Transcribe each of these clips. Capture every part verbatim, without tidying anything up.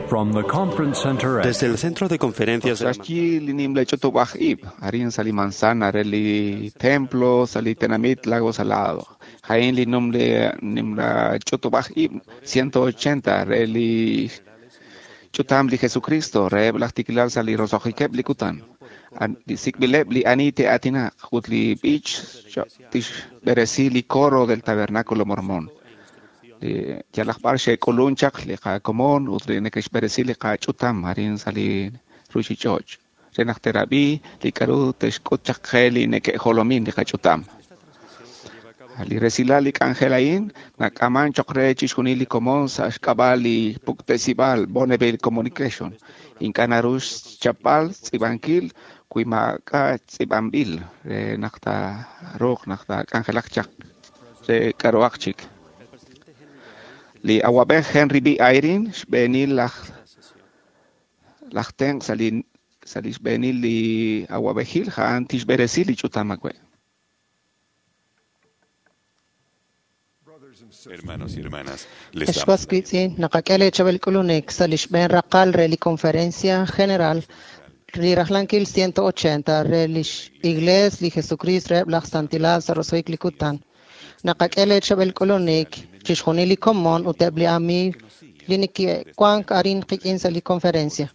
From the conference center at Desde el centro de conferencias de la Saxyi li nimla ch'utub'aj ib', arin sa li manzana re li templo sa li tenamit Lago Salado. Jain li numle nimla ch'utub'aj ib' ciento ochenta re li ch'utam li Jesucristo re laj tikilal sa li roso'jikeb' li kutan. An- Li sik'b'ileb' li ani te'aatinaq ut li b'ich tixb'eresi li coro del Tabernáculo Mormón. Li yalaq b'ar xe'k'ulun chaq li qakomon ut li neke'xb'eresi li qach'utam arin sa li ruchich'och'. Re naq terab'i li k'a'ru te'xk'ut chaq qe li neke'jolomin li qach'utam. Li resilal li k'anjel a'in nak'aman choq re chixjunil li komon sa' xk'ab'a' li puktesib'al Bonneville Communication. Ink'a' naru xchapb'al tz'iib'ankil wi maak'a' tz'iib'anb'il re naq taaruuq naq taak'anjelaq chaq re k'a'ruhaq chik. Li awab'ej Henry B. Eyring xb'eenil laj laj tenq' sa' li sa' li xb'eenil li awab'ejil a'an tixb'eresi li ch'utam awe'. Hermanos y hermanas, les Ex damos was wiitz'in naqak'e leechab'el k'ulunik sa' li xb'een raqal re li Conferencia General li rajlankil ciento ochenta re lix Iglees li Jesucristo reheb' laj Santilal sa' roso'jik li kutan. Naqak'e leechab'el k'ulunik chixjunil li komon ut eb' li amiig li neke'wank arin qik'in sa' li conferencia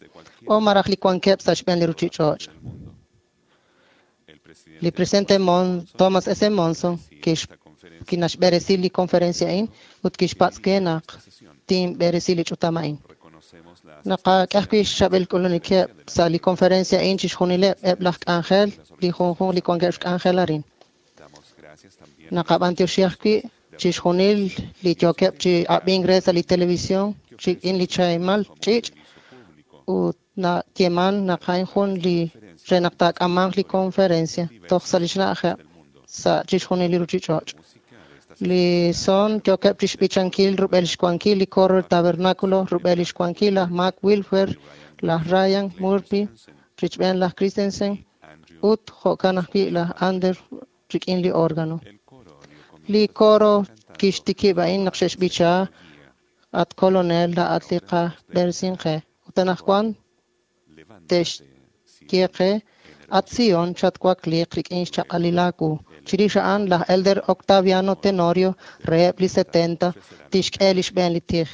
o malaj li wankeb' sa' xb'een li ruchich'och'. Li presidente Mon Thomas S. Monson kix kinaxb'eresi li conferencia a'in ut kixpatz' qe naq tinb'eresi li ch'utam a'in. Naqak'e ajwi' xchab'el k'ulunikeb' sa' li conferencia a'in chixjunileb' eb' laj k'anjel li junjunq li wankeb' xk'anjel arin. Naqab'antioxi ajwi' chixjunil li yookeb' chi ab'ink re sa' li televisión rik'in li chahimal ch'iich' ut nayeeman naq a'in jun li re naq taak'amanq li conferencia toj sa' li xna'ajeb' sa' chixjunil li ruchich'och'. Li son yookeb' chixb'ichankil rub'el xwankil li coro del tabernáculo, rub'el xwankil laj Mark Wilfer, laj Ryan Murphy, richb'een laj Christensen ut jo'kan ajwi' laj Ander rik'in li órgano. Li coro kixtikib' a'in naq xe'xb'icha at colonel laa'at li qab'eresin qe. Ut anaqwan te'xye qe at Sion chatwakliiq rik'in xchaq'alil aawu. Chirix a'an laj Elder Octaviano Tenorio reheb' li setenta tixk'e li xb'een li tij.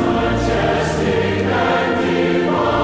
Majestic and divine.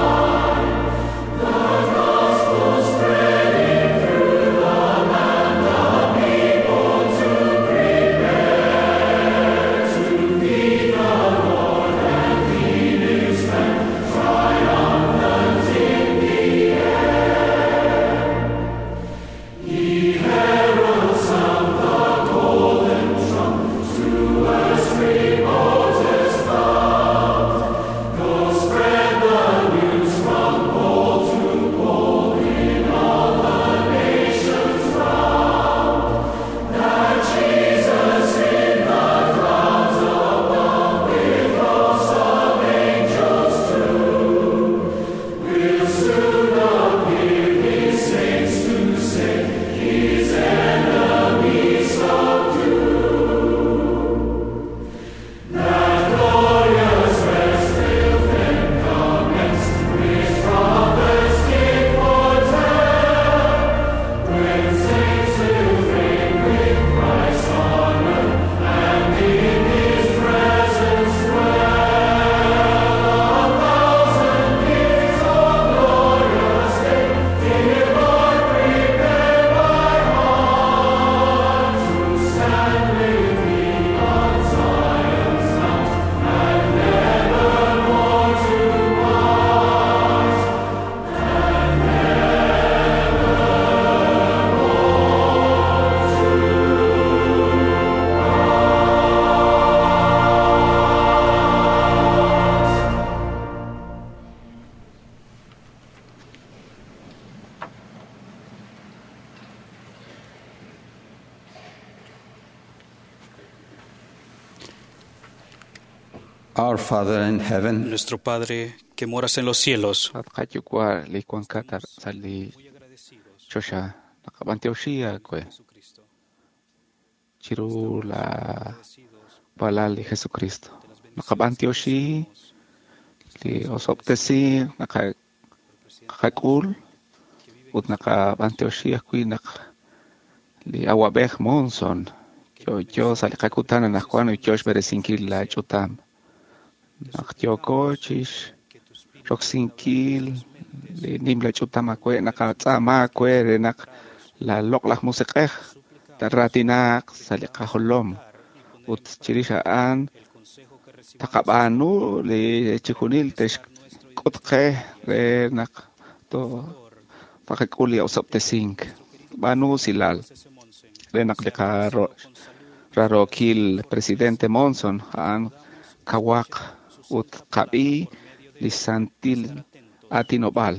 Our Father in heaven, Nuestro Padre que moras en los cielos, At qayuwa' li wankat ar- sa' li choxa naqab'antioxi aawe chiru la walal li Jesucristo. Naqab'antioxi li osob'tesi naqa- qak'ul ut naqab'antioxi ajwi' naq li awab'ej Monson yo'yo sa' li qakutan anaqwan ut yo xb'eresinkil la ch'utam. Naq yooko chix roksinkil li nimla ch'utam aawe naqatz'aama aawe re naq la loq'laj musiq'ej taaraatinaq sa' li qajolom ut chirix a'an taqab'aanu li chijunil texk'ut qe re naq to- taqak'ul li osob'tesink. B'aanu usilal re naq li qaro- rarookil presidente Monson a'an kawaq ut qab'i li santil aatinob'aal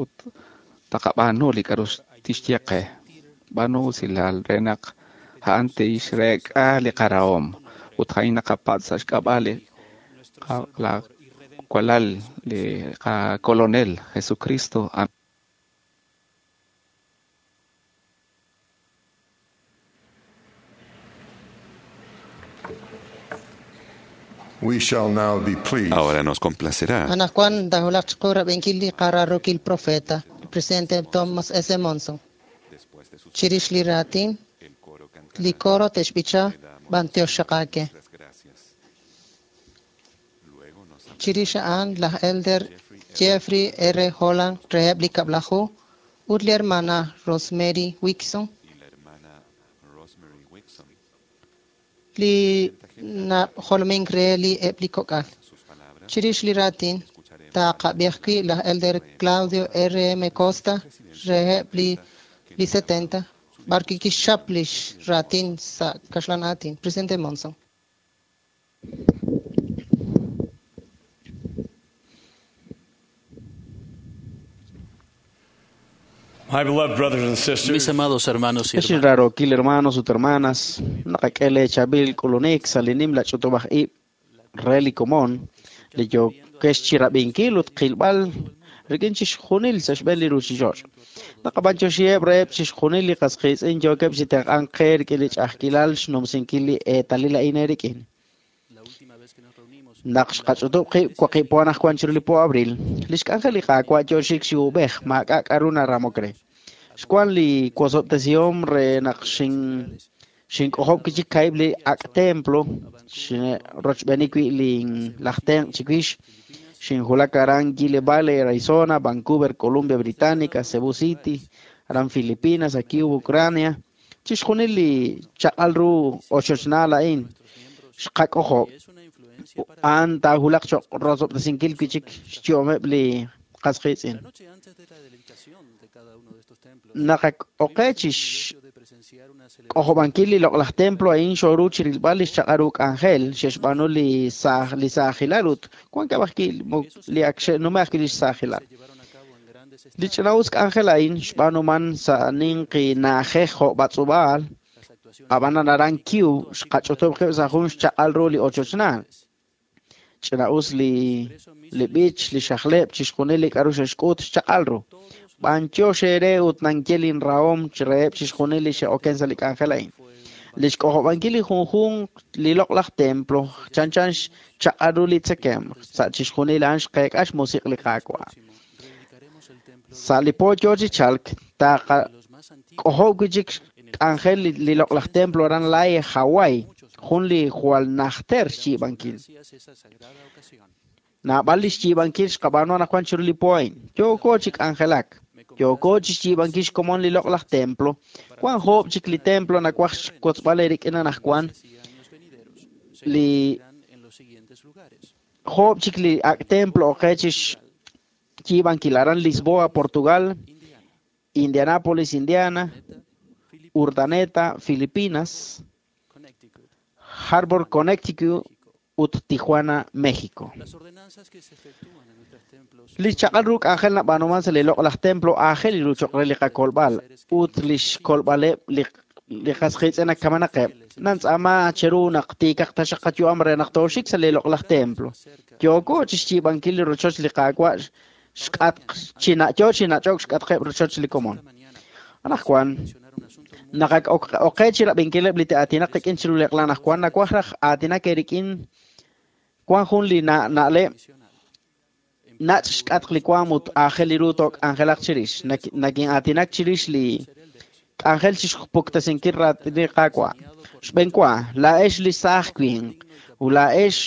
ut taqab'aanu li k'a'ru tixye qe. B'aanu usilal re naq a'an tixreek'a li qarahom ut a'in naqapatz' sa' xk'ab'a' li qa- la walal li qakolonel Jesucristo. Amén. We shall now be pleased Ahora nos complacerá Anaqwan tahulaq chiqu rab'inkil li qararukil profeta, el presidente Thomas S. Monson. Chirix li raatin, li coro te'xb'icha b'antioxaqaake. Chirix a'an laj Elder Jeffrey R. Holland reheb' li kab'laju ut li hermana Rosemary Wixon li najolomink re li eb' li kok'al. Chirix li raatin, taqab'i ajwi' laj Elder Claudio R. M. Costa reheb' li li setenta b'ar kixchap lix raatin sa' kaxlan aatin. Presidente Monson. My beloved brothers and sisters, mis amados hermanos y Ex hermanas, rarookil hermanos ut hermanas, naqak'e chabil k'ulunik sa' li nimla ch'utub'aj ib' re li komon li yookex chirab'inkil ut qilb'al rik'in chixjunil sa' xb'een li ruuchich'och'. Naqab'antioxiheb' reheb' chixjunil li qas qiitz'in yookeb' chi tenq'ank qe rik'in li ch'a'ajkilal xnumsinkil li eetalil a'in eerik'in. Naq xqach'utub' qib' waqib' po anaqwan chiru li po abril, li xk'anjel li Qaawa' yoo xik chi uub'ej maak'a' k'a'ru naramok re. Xwan li wosob'tesihom re naq xin xink'ojob' kichik kaib' li ak' templo rochb'eeni wi' li laj tenq' chiwix xinjulak aran Gila Valley, Arizona, Vancouver, Columbia Británica, Cebu City, aran Filipinas, a Kiev, Ucrania. Chixjunil li chaq'al ru ochochnaal a'in xqak'ojob' a'an taajulaq choq' rosob'tesinkil wi'chik xyu'ameb' li qas qiitz'in. Naqak'oqe chix k'ojob'ankil li loq'laj templo a'in xooru chirilb'al li xchaq'al ru k'anjel xe'xb'aanu li saaj li saajilal ut wankeb' ajwi' li ak xe'nume' ajwi' li xsaajilal. Li ch'ina'us k'anjel a'in xb'aanuman sa' ninqi na'ajej jo' b'atz'ub'aal, ab'anan aran Kiev xqach'utub' qib' sa' jun xchaq'al ru li ochochnaal. Ch'ina'us li li b'ich, li xajleb', chixjunil li k'a'ru xe'xk'ut xchaq'al ru. B'antiox eere ut nanye linrahom reheb' chixjunil li xe'oken sa' li k'anjel a'in. Li xk'ojob'ankil li junjunq li loq'laj templo chanchan xchaq'al ru li tzekemq sa' chixjunil a'an xqeek'a xmusiq' li Qaawa'. Sa' li po yoo chi chalk taqak'ojob' wi'chik k'anjel li li loq'laj templo aran Laie, Hawaii, jun li jwal najter xyiib'ankil. Naab'al li xyiib'ankil xqab'aanu anaqwan chiru li po a'in. Yooko chi k'anjelak. Yooko chi xyiib'ankil xkomon li loq'laj templo. Wan joob' chik li templo nawaj xwotzb'al eerik'in anaqwan li joob' chik li ak' templo oqe chi xyiib'ankil aran Lisboa, Portugal, Indianápolis, Indiana, Urdaneta, Filipinas, Harbor, Connecticut ut Tijuana, México. Li chaq'al ru k'anjel nab'aanuman sa' li loq'laj templo aajel li ru choq' re li qakolb'al ut li xkolb'aleb' li li qas qiitz'in ak kamanaqeb'. Nantz'aama cheru naq tiikaq taxaq qayu'am re naq tooxik sa' li loq'laj templo. Yooko chixyiib'ankil li rochoch li Qaawa' xk'atq china yo chinach'ok xk'atqeb' rochoch li komon. Anajwan naq ak oqe chirab'inkileb' li te'aatinaq qik'in chiru li eq'la anajwan nawaj raj aatinak eerik'in wan jun li na'leb' nach' xk'atq li waam ut aajel li ru took'anjelaq chirix. Nakin'aatinak chirix li k'anjel chixpuktasinkil raatin li Qaawa'. Xb'enwa, laa'ex li saaj winq ut laa'ex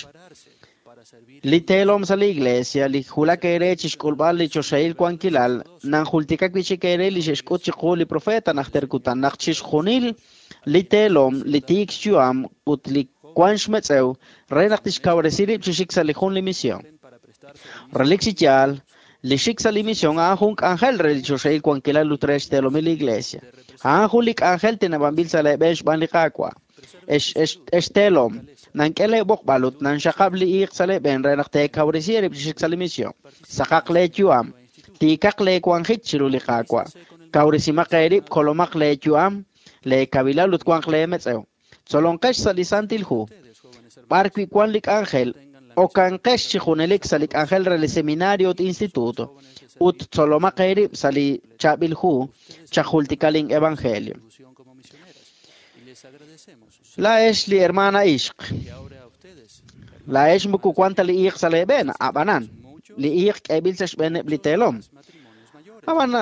li teelom sa' li iglesia, li wulak eere chixk'ulb'al li choxahil wankilal, nanjultika wi'chik eere li xe'xk'ut chiqu li profeta najter kutan naq chixjunil li teelom, li tiik xyu'am ut li wan xmetz'ew re naq tixkawresi rib' chi xik sa' li jun li misión. Relik chi yaal, li xik sa' li misión a'an jun k'anjel re li choxahil wankilal ut re xteelomil li iglesia. A'an jun li k'anjel teneb'anb'il sa' leeb'een xb'aan li Qaawa'. Ex ex ex teelom, nank'e leeb'oqb'al ut nanxaqab' li iiq sa' leeb'een re naq teekawresi eerib' chi xik sa' li misión. Saqaq leeyu'am, tiikaq leewanjik chiru li Qaawa'. Kawresimaq eerib', kolomaq leeyu'am, leekabilal ut wanq leemetz'ew. Tzolonqex sa' li Santil Hu, b'ar wi' wan li k'anjel, okanqex chi junelik sa' li k'anjel re li seminario ut instituto, ut tzolomaq eerib' sa' li chaab'il hu, chajultika lin evangelio. Laa'ex li hermana ixq, laa'ex moko wan ta li iiq sa' leeb'een, ab'anan, li iiq k'eeb'il sa' xb'eeneb' li teelom. Ab'an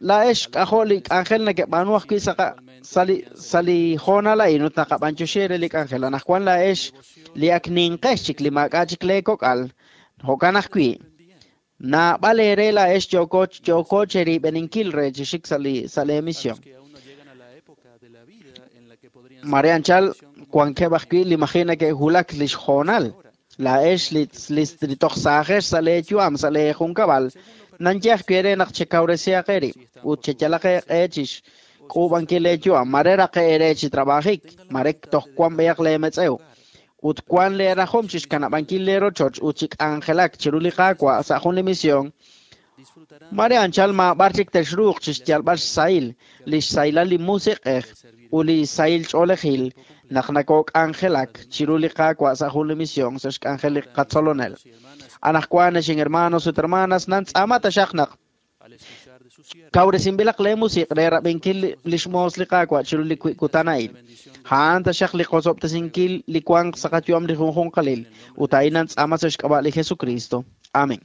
laa'ex k'ajo' li k'anjel nakeb'aanu ajwi' sa' sa' li sa' li hoonal a'in ut naqab'anyoxi re li k'anjel. Anajwan laa'ex li ak ninqex chik li maak'a' chik leekok'al, jo'kan ajwi' naab'al eere laa'ex yooko yooko cherib'eninkil re chi xik sa' li sa' lee misión. Mare anchal wankeb' ajwi' li maji' nake'wulak li xhoonal. Laa'ex li li toj saajex sa' leeyu'am sa' leejunkab'al, nanye ajwi' eere naq chekawresihaq eerib' ut cheyalaq eeq'e chixk'uub'ankil leeyu'am. Mare raqe eere chi trabajik, mare toj wan b'eyaq leemetz'ew. Ut wan leerajom chixkanab'ankil leerochoch ut chik'anjelak chiru li Qaawa' sa' jun li misión. Mare anchal maab'ar chik texruuq chixyalb'al xsahil, li xsahilal li musiq'ej ut li sahil ch'oolejil naq nakok'anjelak chiru li Qaawa' sa' jun li misión sa' xk'anjel li qatzolonel. Anajwan ex hermanos ut hermanas nantz'aama taxaq naq kawresinb'ilaq lee musiq' re rab'inkil li xmoos li Qaawa' chiru li kutan a'in. A'an taxaq li qosob'tesinkil li wanq sa' qayu'am li junjunqalil ut a'in nantz'aama sa' xk'ab'a' li Jesucristo. Amén.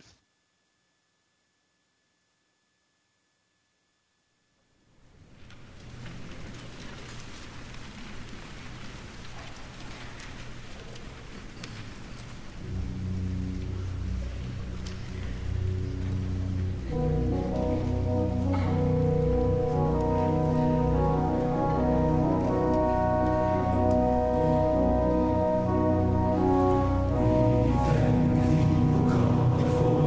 We thank thee, O God, for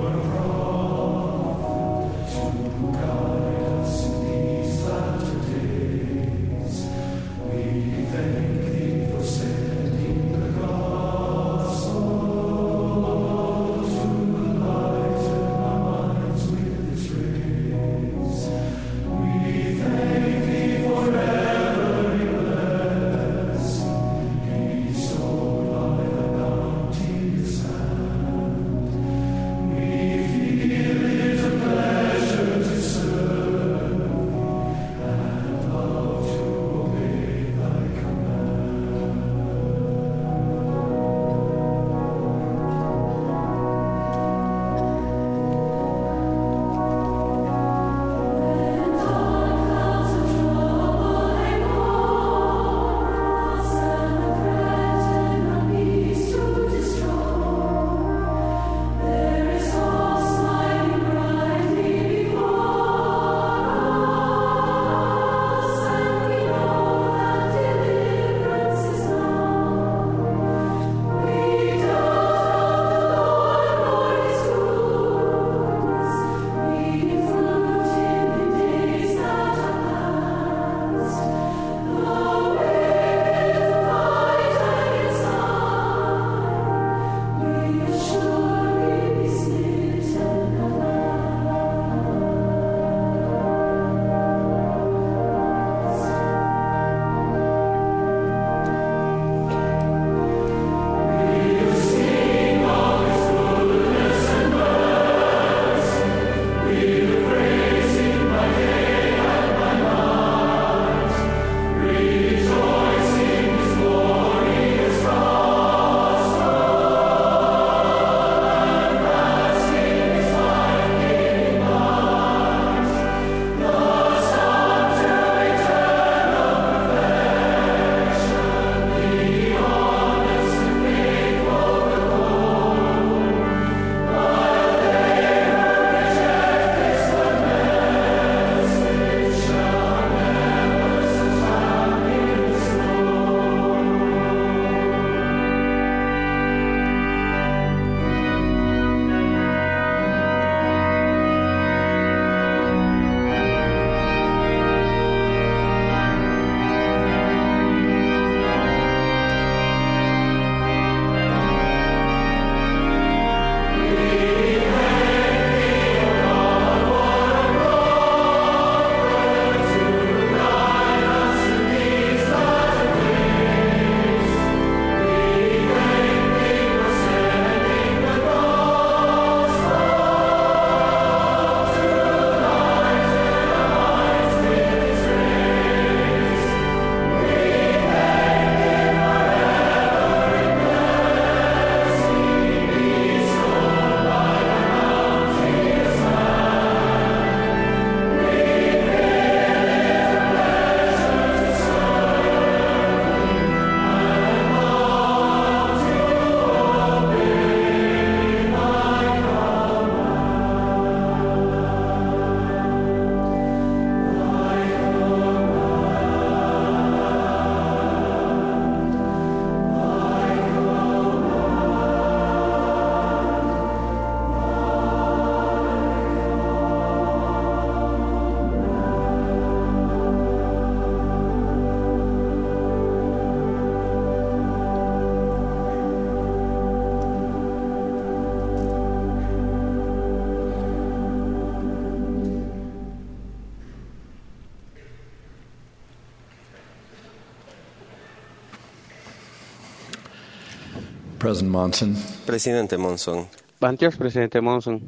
President Monson. Presidente Monson. Bantiox, Presidente Monson.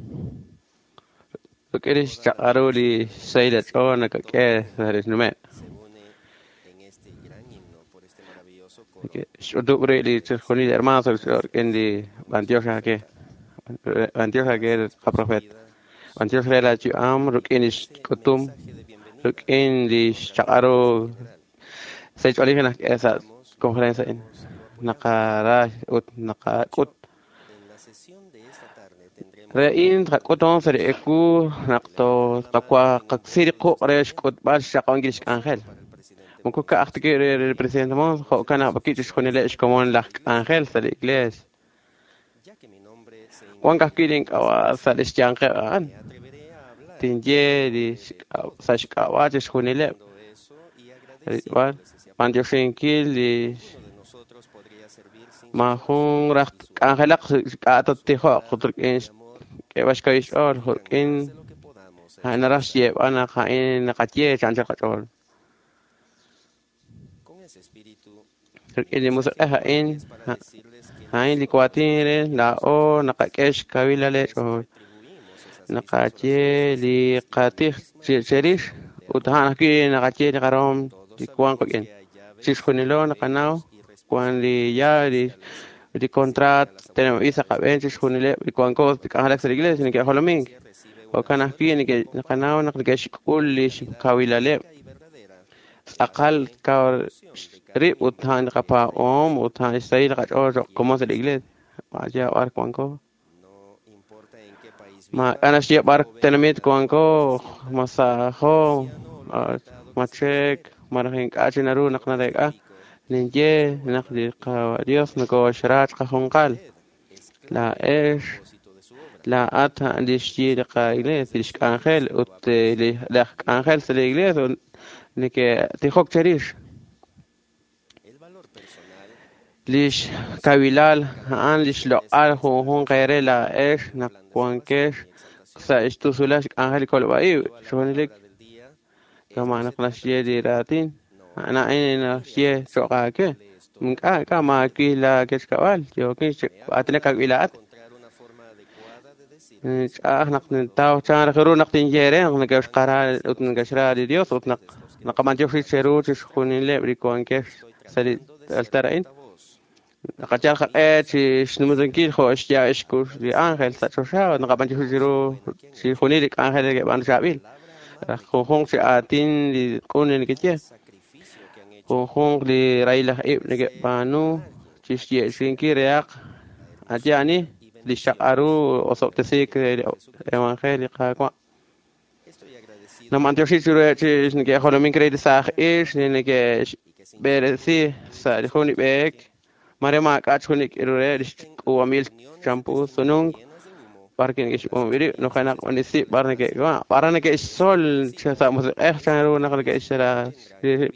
Ruk'in xchaq'aru li xsahil ch'ool nakak'e sa' nume'. Xch'utub' ri' li chixjunil hermanos rik'in li bantiox ake. Bantiox ake qaprofet. Bantiox re la yu'am rik'in li xk'utum rik'in li xchaq'aru sahil ch'oolej nak'e sa' conferencia in naqara ut naqak'ut. Re'in tqak'uton sa' li eku naq tqaksiri quq' re xk'utb'al xchaq'awankil xk'anjel. Moko ka'aj ta re li presidente Monson jo'kan naq b'aki chixjunileb' xkomon laj k'anjel sa' li iglees. Wan ka'ajwi' link'ab'a' sa' li xyanqeb' a'an. Tinye li sa' xk'ab'a' chixjunileb'. Rilb'al b'antioxinkil li maajun raj k'anjelaq k'a' tattijoq ut rik'in k'eeb'al xkawil xch'ool rik'in a'an naraj xyeeb'al naq a'in naqaye chanchal qach'ool. Rik'in li musiq'ej a'in a'in li waatin re laa'o naqak'e xkawilal ch'ool. Naqaye li qatij cherix ut a'an ajwi' naqaye li qarom li wan qik'in. Chixjunilo naqanaw wan li ya li li contrat teneb'anb'il sa' qab'een chixjunileb' li wanko k'anjelak sa' li iglesia neke'jolomink. Jo'kan ajwi' naqanaw naq neke'xk'ul li xkawilaleb' tz'aqal kaw rib' ut a'an qapaab'oom ut a'an xsahil qach'ool cho'q komon sa' li iglesia. Vaya b'ar wanko. Maak'a' naxye b'ar tenamit wanko masajo machek malaj ink'a' chi naru naq nareek'a. Ninye naq li Dios nokoxra chiqajunqal. Laa'ex laa'at a'an li xyi li qa-iglesia, li xk'anjel ut li laj k'anjel sa' li iglesia neke'tijok cherix. Li xkawilal a'an li xloq'al junjunq eere laa'ex naq wankex sa' xtusulal xk'anjel li kolb'a-ib' xjunelik kama' naq naxye li raatin. A'an a'in naxye cho'q aawe. Ink'a' ink'a' maawil laakechkab'al yookin aatinak aawil laa'at. Ch'a'aj naq nintaw chan raj ru naq tinye re naq neke'xqara ut neke'xra li Dios ut naq naqab'antioxi cheru chixjunileb' li wankex sa' li altar a'in. Naqayal qaq'e chi xnumsinkil jo' xya' xkux li ángel sa' choxa ut naqab'antioxi chiru chixjunil li k'anjel neke'b'aanu chaab'il. Raj junjunq chi aatin li q'un li nekeye. Junjunq li rahil aj ib' neke'b'aanu chixye'xinkil rehaq ayani li xchaq'aru osob'tesiik re li evangelio Qaawa'. Namantioxi chiruheb' chi neke'jolomink re li saaj ix li neke'xb'eresi sa' li jun li b'eek mare maak'a' jun li k'iru re li xk'uub'anb'il champu sununk b'ar neke'xb'oonb'il rib' nujenaq b'anisi b'ar neke'wa' b'ar neke'xtzol sa' musiq'ej chan ru naq neke'xra rib'.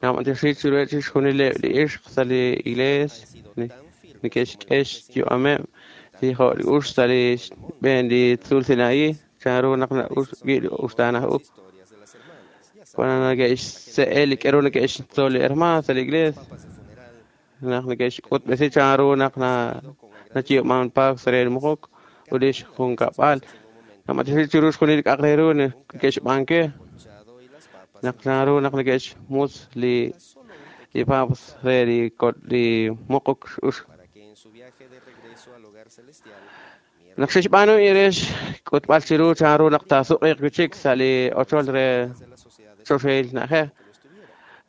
Namantioxi chiruheb' chixjunileb' li ixq sa' li iglees neke'xk'e xyu'ameb' li jo' li ux sa' li xb'een li tzuul Sinaí chan ru naq na'ux wi' li uxtaanaj u. Cuando neke'xse'e li k'eru neke'xtzol li hermano sa' li iglees naq neke'xk'utb'esi chan ru naq nayiib'man paak sa' re li muquk ut li xjunkab'al. Namantioxi chiru xjunil li k'a'aq re ru neke'xb'aanke naq chan ru naq neke'xmus li li paps re li li muquk ux. Naq xe'xb'aanu re xk'utb'al chiru chan ru naq taasuq'iiq wi' chik sa' li ochol re choxahil na'ajej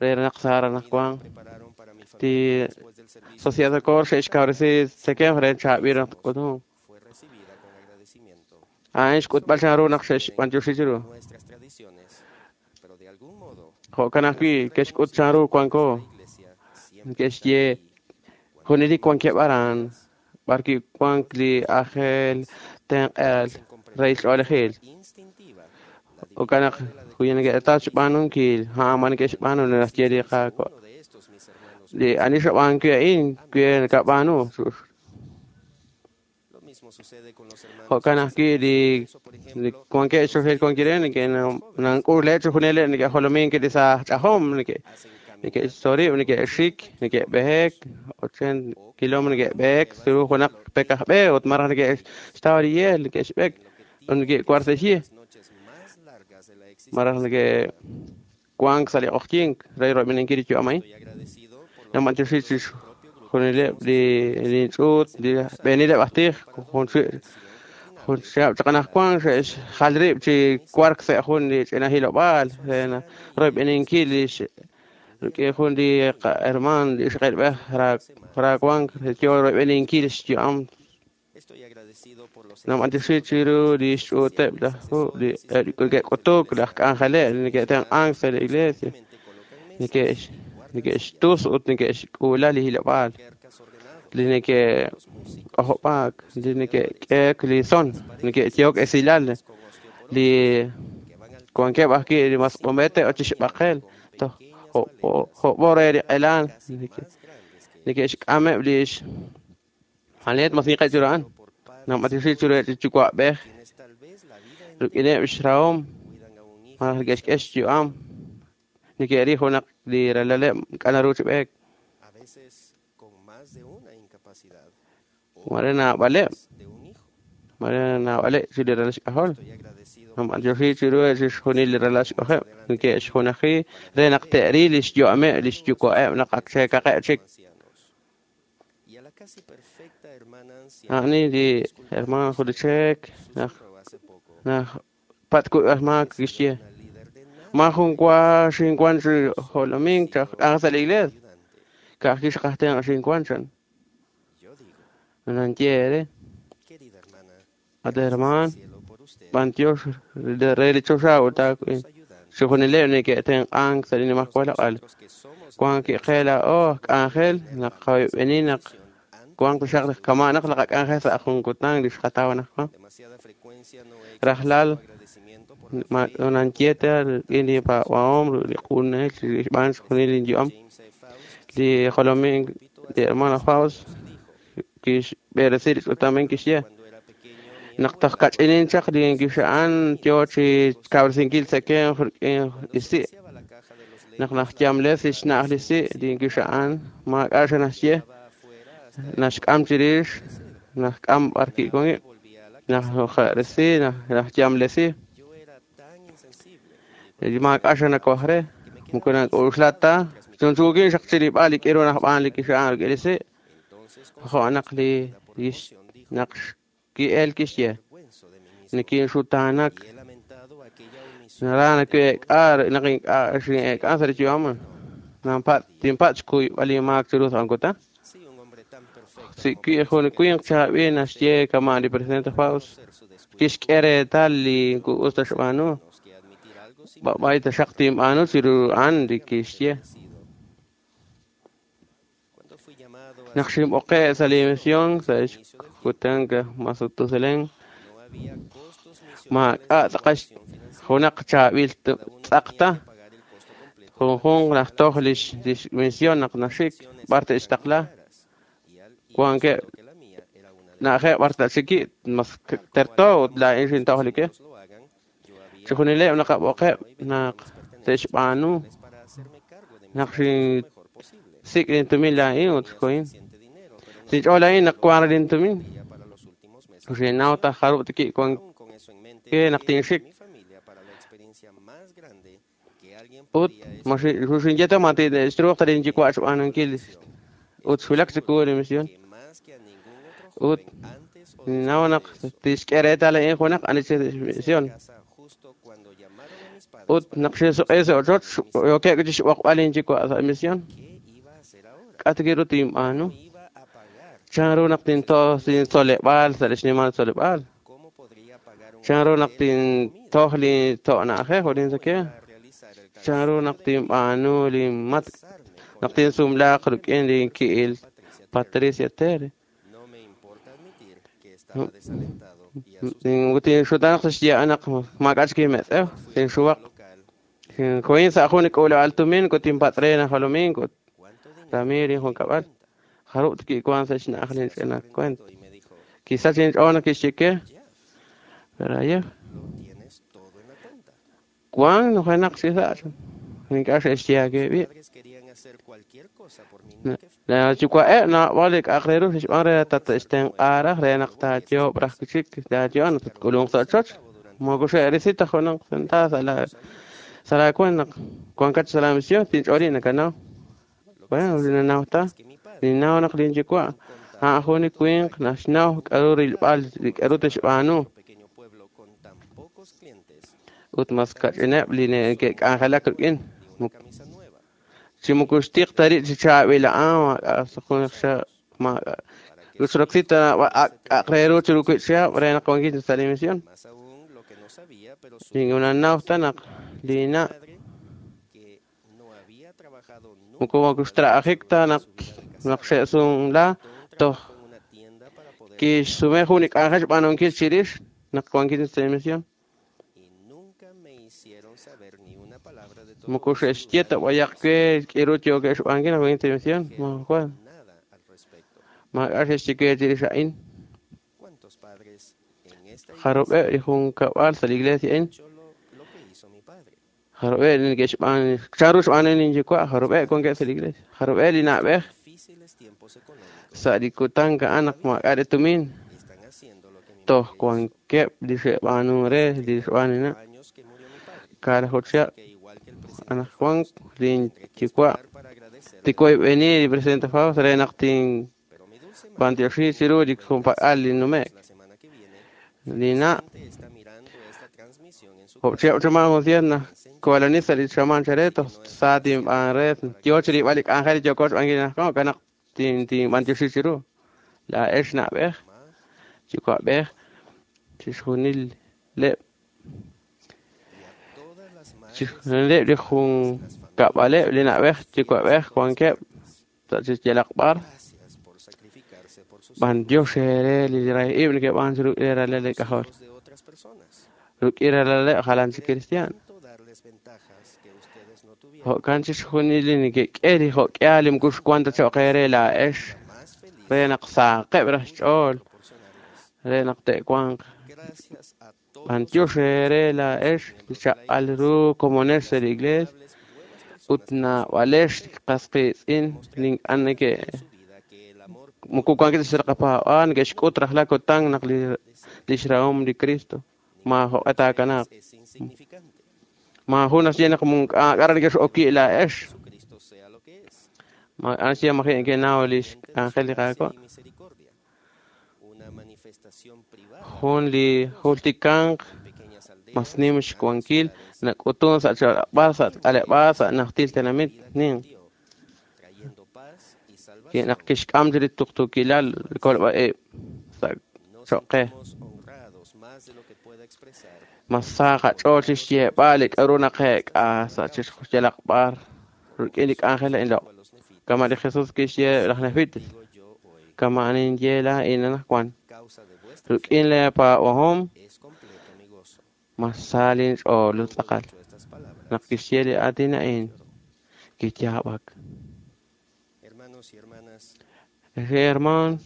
re naq sara naq wan li Sociedad Socorro xe'xkawresi tzekem re chaab'il naq k'utum. A'in xk'utb'al chan ru naq xe'xb'antioxi chiru. Jo'kan ajwi' ke'xk'ut chan ru wanko neke'xye junelik wankeb' aran b'ar wank li ajel tenq'al rehil ch'oolejil. Jo'kan naq wi neke'taw xb'aanunkil a'an ma neke'xb'aanu naxye li Qaawa'. Li ani xb'aanunkil a'in wi nakab'aanu. Jo'kan ajwi' li wankeb' xchoxahil wankil neke'nank'uleb' chixjunileb' neke'jolomink li saaj ch'ajom Neke'xtzolib', neke'xik, neke'b'ehek, ochenta kilómetro neke'b'ehek chiru junaq pek aj b'e ut maraj neke'xtaw li yeel, neke'xb'ek ut neke'war sa' xyi. Maraj neke'wank sa' li q'oqyink re royb'eninkil li yu'am a'in. Namanchixi chixjunileb' li li ch'uut, li b'eenileb' aj tij, jun jun chihab' chaq anaqwan xe'xjal rib' chi wark sa' jun li ch'ina hilob'aal re royb'eninkil li rik'in jun li herman li ixqilb'ej rawank yo royb'eninkil xyu'am. Namanchixi chiru li xch'uuteb' laj li neke'k'utuk, laj k'anjeleb' li neke'tenq'ank sa' li iglesia, neke'x neke'xtus ut neke'xk'uula li hilob'aal, li neke'k'ojob'aak, li neke'k'eek li son, neke'yehok esilal, li wankeb' ajwi' li masq'umete ut chixb'aqel toj jo'b'o re li q'elaan neke'xk'ameb' li xmaleet mas ninqeb' chiru a'an. Namanchixi chiru li yuwa'b'ej rik'ineb' xrahom maraj neke'xk'e xyu'am, neke'ril junaq li ralaleb' ink'a' naru chi b'eek. Mare naab'aleb', mare naab'aleb' chi li ralal xk'ajol. Namanchixi chiru chixjunil li ralal xk'ajoleb' neke'xjunaji re naq te'ril li xyu'ameb' li xyuwa'eb' naq ak cheekaqeb' chik. A'ani li herman Julichek naq naq patku'al maak kixye ma jun wa xinwan chi jolomink chaq k'anjel sa' li iglesia ka'ajwi' xqajtenq' xinwan chan. Nanye re at herman b'antiox re li choxa ut taawin chixjunileb' neke'tenq'ank sa' li nimajwal loq'al. Wank qe laa'o aj k'anjel naq qayb'eni naq wank xaq kama' naq laqak'anjel sa' jun kutan li xqataw anaqwan. Rajlal nanye ta rik'in li paab'ahom li q'unel xb'aan xjunil linyu'am. Li jolomink li hermano Faust kixb'eresi li ch'utam kixye naq toj kach'inin chaq li kixa'an yo chi kawresinkil tzekemq rik'in li si'. Naq najyamles li xna'aj li si' li kixa'an maak'a' xanaxye naxk'am chirix naxk'am b'ar ki'wank najresi najyamlesi maak'a' xanakoj re moko nak'uxla ta chunchuukin xaq chirib'al li k'iru najb'aan li kixa'an rik'in li si' jo' naq li naq ki'el kixye nikinxutaanak nara nake'ek'a naq ink'a' xin'ek'an sa' li yu'am nanpat tinpat xkuyb'al li maak chiru sa' jun kutan. Si jun winq chaab'il naxye kama' li presidente Faust kixk'e reetal li us ta xb'aanu b'ab'ay taxaq tinb'aanu chiru a'an li kixye. Naq xinb'oqe' sa' li misión sa' xkutan Matusalén maak'a' tz'aqal junaq chaab'il tz'aq ta junjunq naj toj lix misión naq naxik b'ar te'xtaqla wankeb' na'ajeb' b'ar ta'xiki' mas terto ut laa'in xintoj li ke. Chixjunileb' naqab'oqeb' naq te'xb'aanu naq xinsik' lintumin laa'in ut xkohin. Sinch'ool a'in naq wank lintumin xinnaw taj jarub' tiki' wank ke naq tinxik. Ut ma xinye ta ma te'xruuq ta linyuwa' xb'aanunkil ut xwulak chiwu li misión. Ut ninnaw naq tixk'e reetal a'in junaq ani chi misión. Ut naq xinsuq'i sa' ochoch yookeb' chi xb'oqb'al linyuwa' sa' misión. K'a' ru tinb'aanu? Chanru naq tintoj lintzoleb'aal sa' li xnimal tzoleb'aal? Chanru naq tintoj li to' na'ajej ut lintzakemq? Chanru naq tinb'aanu linmatk' naq tinsumlaaq rik'in linki'il Patricia Terry? Tinxutanaq sa' xye naq maak'a' chik inmetz'ew, tinxuwaq. Xinkohin sa' jun li k'uuleb'aal tumin ut tinpatz' re najolomink ut Ramiro injunkab'al. Jarub' tki'wank sa' xna'aj linch'ina kuent. Kisach inch'ool naq kixye ke, pero ayer wank nujenaq chi sa' ink'a' xe'xye aawe b'i'. Laa yuwa'eb' naab'al li k'a'aq re ru xe'xb'aan re tate'xtenq'a raj re naq taayoob' raj chik laayo'on naq tatk'ulunq sa' ochoch. Moko xe'risi ta junaq sentaavo sa' laa sa' laakuent naq wankat sa' la misión tinch'ooli nakanaw. Bueno, ninnaw ta. Ninnaw naq linyuwa' a'an jun li winq naxnaw k'a'ru rilb'al li k'a'ru tixb'aanu. Ut mas kach'ineb' li neke'k'anjelak rik'in. Chi moko xtiq ta rib' chi chaab'il a'an maak'a' junaq maak'a' xroksi ta k'a'aq re ru chiru wiib' chihab' re naq wankin sa' li misión. Ninnaw ta naq linna' moko moko xtra'ajik ta naq naq xe'sumla toj kixsume jun li k'anjel xb'aanunkil chirix naq wankin sa' li misión. Moko xe'xye ta b'ayaq we k'iru yookeb' xb'aanunkil naq wankin sa' li misión. Maajun maak'a' xe'xye we chirix a'in. Jarub'eb' li junkab'al sa' li iglesia a'in. Jarub'eb' li neke'xb'aan chanru xb'aanu linyuwa' jarub'eb' wankeb' sa' li iglesia. Jarub'eb' li na'b'ej sa' li kutan a'an naq maak'a' li tumin toj wankeb' li xe'b'aanunk re li xb'aan linna'. Kaalaju chihab' anaqwan linyuwa' tikoyb'eni li presidente Faust re naq tinb'antioxi chiru li junpak'al li nume'k. Linna' job chihab' chamaan jun sien naq kowalani sa' li xamaan chare toj sa tinb'aan re yoo chirilb'al li k'anjel li yooko xb'aanunkil anaqwan jo'kan naq tinb'antioxi chiru. Laa'ex na'b'ej, yuwa'b'ej, chixjunileb' chixjunileb' li junkab'aleb' li na'b'ej yuwa'b'ej wankeb' sa' chi yalaq b'ar. B'antiox eere li rahil ib' neke'b'aan chiru li ralal li k'ajol. Rik'in ralaleb' jalan chi cristiano. Jo'kan chixjunil li neke'k'e li jo'k'ihal li moko xwank ta cho'q eere laa'ex re naq saaqeb' raj xch'ool re naq te'wanq. B'antiox eere laa'ex li chaq'al ru komonex sa' li iglees ut naab'alex qas qiitz'in li ink'a' neke' moko wankeb' ta sa' li qapaab'aal neke'xk'ut rajlal kutan naq li lix rahom li Cristo maajoq'e taakanaaq. Maajun naxye naq maak'a' neke'x'oki' laa'ex. Maak'a' naxye maji' neke'naw lix k'anjel li Qaawa'. Jun li jultikanq mas nim xwankil nak'utun sa' chaq'rab'al, sa' k'aleb'aal, sa' najtil tenamit ninq. Naq kixk'am chi li tuqtuukilal li kolb'a-ib' sa' cho'q qe. Mas sa qach'ool chixyeeb'al li k'a'ru naqeek'a sa' yalaq b'ar rik'in li k'anjel a'in loq'. Kama' li Jesus kixye laj Nefites, kama' ninye laa'in anaqwan. Rik'in lee paab'ahom mas sa linch'ool ut tz'aqal. Naq kixye li aatin a'in, kiyaab'ak. Herman,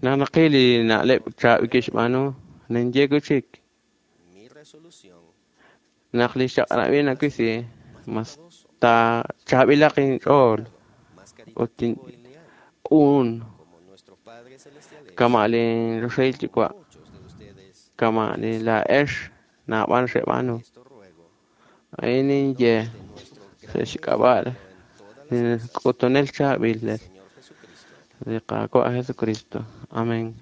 naq naqil li na'leb' chaab'il kixb'aanu, ninye wi' chik naq li xchaq'rab'il nawisi mas taachaab'ilaq inch'ool ut tinq'un kama' linchoxahil yuwa' kama' li laa'ex naab'al xeb'aanu. A'in ninye sa' xk'ab'a' li k'utunel chaab'il li Qaawa' Jesucristo. Amén.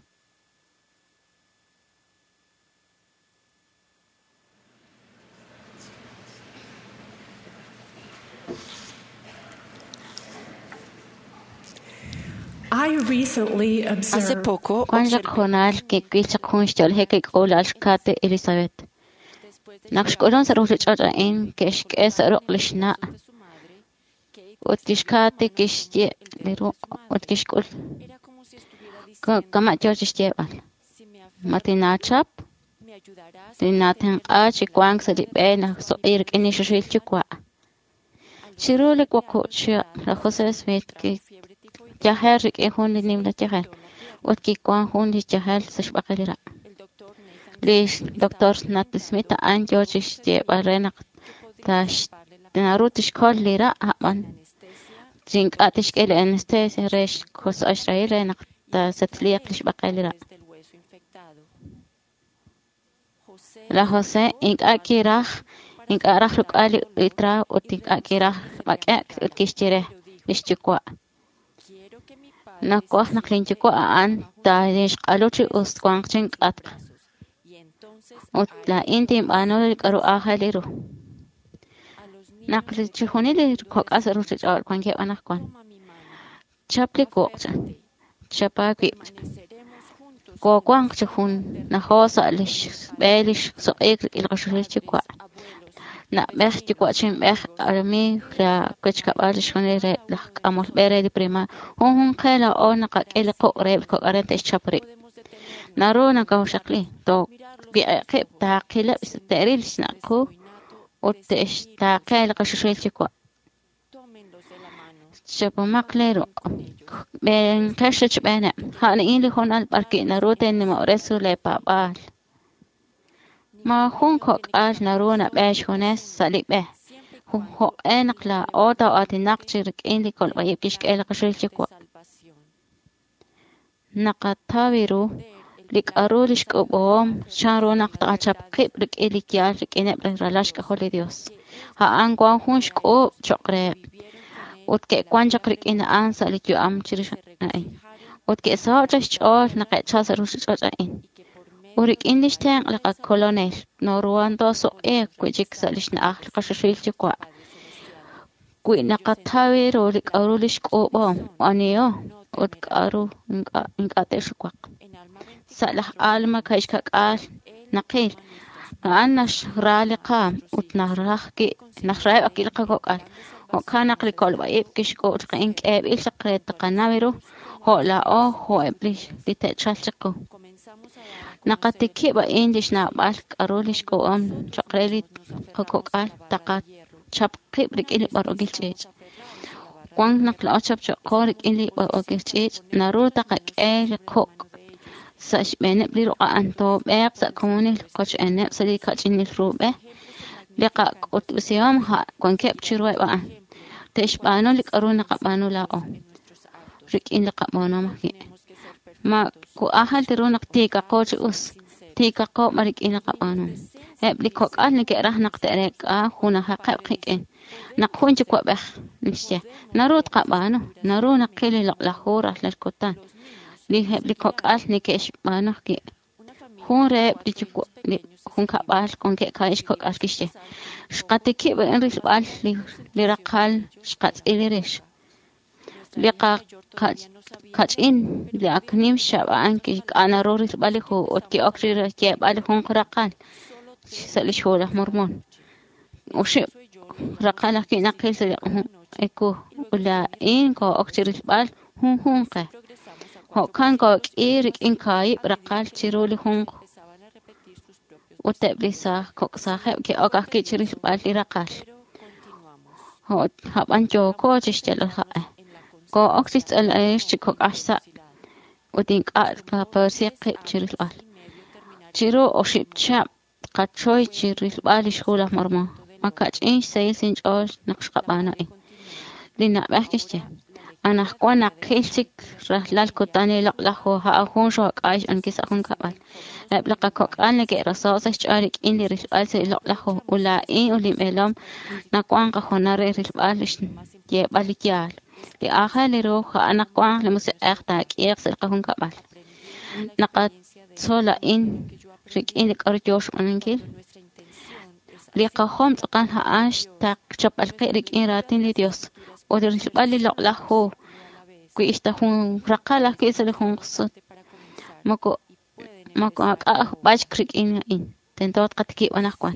I recently Hace observed poco Wan chaq hoonal kiwil chaq jun xyo'lajik kik'uula'al xKate Elizabeth. Naq xk'ulun sa' ruchich'och' a'in ke'xk'e sa' ruq' lix na' ut lix Kate kixye' li ruq' ut kixk'ul kama' yoo chixyeeb'al. Ma tinaachap? Tinaatenq'a chi wank sa' li b'e najsoq'i rik'in li xoxil yuwa'. Chiru li wuqub' chihab' laj Jose Smith kiyajer rik'in jun li nimla yajel ut kiwan jun li yajel sa' xb'aqel li ra'. Li Doctor Nathan Smith a'an yoo chixyeeb'al re naq naru tixkol li ra' a'b'an chi ink'a' tixk'e li anestesia re xkosb'al xrahil re naq taasetliiq lix b'aqel li ra'. Laj José ink'a' kiraj ink'a' raj ruk'al li trago ut ink'a' kiraj b'ak'e'k ut kixye re lix yuwa'. Nawaj naq lin yuwa' a'an taaxq'alu chi us wanq chink'atq ut laa'in tinb'aanu li k'a'ru aajel ru. Naq chixjunil li kok'al sa' ruchich'och' wankeb' anaqwan. Chap li wuq', chap aawib'. Koowanq chi junajoo sa' lix b'e lix suq'iik rik'in li qaxuxil yuwa'. Na'b'ej yuwa'chinb'ej amiiw la wechkab'al chixjunil reheb' laj k'amol b'e re li primaria. Junjunq qe laa'o naqak'e li quq' reheb' li kok'al re te'xchap rib'. Naru nakawoxaqli, toowiq'ib' taaqileb' te'ril xnaq' qu ut te'xtaaqe li qaxuxil yuwa'. Chapomaq lee ruq', b'eenqex rochb'eeneb'. A'in li hoonal b'arwi' naru teenimob'resi lee paab'aal. Maajun kok'al naru nab'eek xjunes sa' li b'e. Jo'q'e naq laa'o too'aatinaq chi rik'in li kolb'a'ib' kixk'e li qaxuxil yuwa'. Naqataw ru li k'a'ru lix k'ub'om chanru naq taqachap qib' rik'in li yaal rik'ineb' li ralal xk'ajol li Dios. A'an wan jun xk'uub' choq' reheb' ut ke'wan chaq rik'in a'an sa' li yu'am chirix a'in. Ut ke'saho' chaq xch'ool naq ke'chal sa' ruchich'och' a'in. Ut rik'in lix tenq' li qakolonel noruhan toosuq'iiq wi'chik sa' lix na'aj li qaxuxil yuwa'. Wi naqataw ru li k'a'ru lix k'uub'om, aniho ut k'a'ru ink'a' te'xuwaq. Sa' laj Alma kaxkak'aal naqil, a'an naxra li qaam ut naraj naxraheb' ajwi' li qakok'al. Jo'kan naq li kolb'a'ib' kixk'uub' chaq a'in k'eeb'il chaq re taqanaw ru jo' laa'o jo'eb' li te'chalq chiqu. Naqatikib' a'in lix naab'al k'a'ru lix k'uub'om choq' re li qakok'al taqachap qib' rik'in li b'arb'ookil ch'iich'. Wan naq laa'o chapchoqo rik'in li b'arb'ookil ch'iich' naru taqak'e li quq' sa' xb'eeneb' li ruq' a'an toob'eeq sa' komonil qochb'eeneb' sa' li kach'inil ru b'e. Li qak'utb'esihom wankeb' chiruheb' a'an. Te'xb'aanu li k'a'ru naqab'aanu laa'o rik'in li qab'aanuhom ajwi'. Ma aajel ru naq tiikaqo chi us, tiikaqo b'an rik'in li qab'aanuhom. Eb' li kok'al neke'raj naq te'reek'a junajaqeb' qik'in. Naq jun yuwa'b'ej naxye, naru tqab'aanu, naru naqil li loq'laj hu rajlal kutan. Li eb' li kok'al neke'xb'aanu ajwi'. Jun reheb' li yuwa' li junkab'al wankeb' kaahib' xkok'al kixye, xqatikib' a'in rilb'al li li raqal xqatz'il rix. Li qakach'in li ak nim xcha'ab' a'an kik'a' naru rilb'al li hu ut ki'ok chi xyeeb'al li junq raqal sa' lix hu laj Mormon. Oxib' raqal ajwi' naqil sa' li ewu ut laa'in koo'ok chi rilb'al junjunq qe. Jo'kan kook'i rik'in kaahib' raqal chiru li junq ut eb' li saaj kok' saajeb' ke'ok ajwi' chi rilb'al li raqal. A'b'an yooko chixyalb'al qaq'e. Koo'ok chi xtz'ilb'al chi kok'aj xsa' ut ink'a' tqapersi qib' chi rilb'al. Chiru oxib' chihab' tqachoy chi rilb'al lix hu laj Mormon. Makach'in xsahil inch'ool naq xqab'aanu a'in. Li na'b'ej kixye, anaqwan naqil chik rajlal kutan li loq'laj hu a'an jun xook'ay xb'aankil sa' junkab'al. Eb' li qakok'al neke'raso' sa' xch'ool rik'in li rilb'al sa' li loq'laj hu ut laa'in ut linb'eelom nawanq qahoonal re rilb'al lix yeeb'al li yaal. Li aajel ru a'an naq wanq li musiq'ej taak'iiq sa' li qajunkab'al. Naqatzol a'in rik'in li k'a'ru yoo xb'aanunkil. Li qajom tz'aqal a'an xchapb'al qib' rik'in raatin li Dios ut rilb'al li loq'laj hu wi xta jun raqal ajwi' sa' li junq sut. Moko moko ak'a' b'achk rik'in a'in. Tento tqatikib' anaqwan.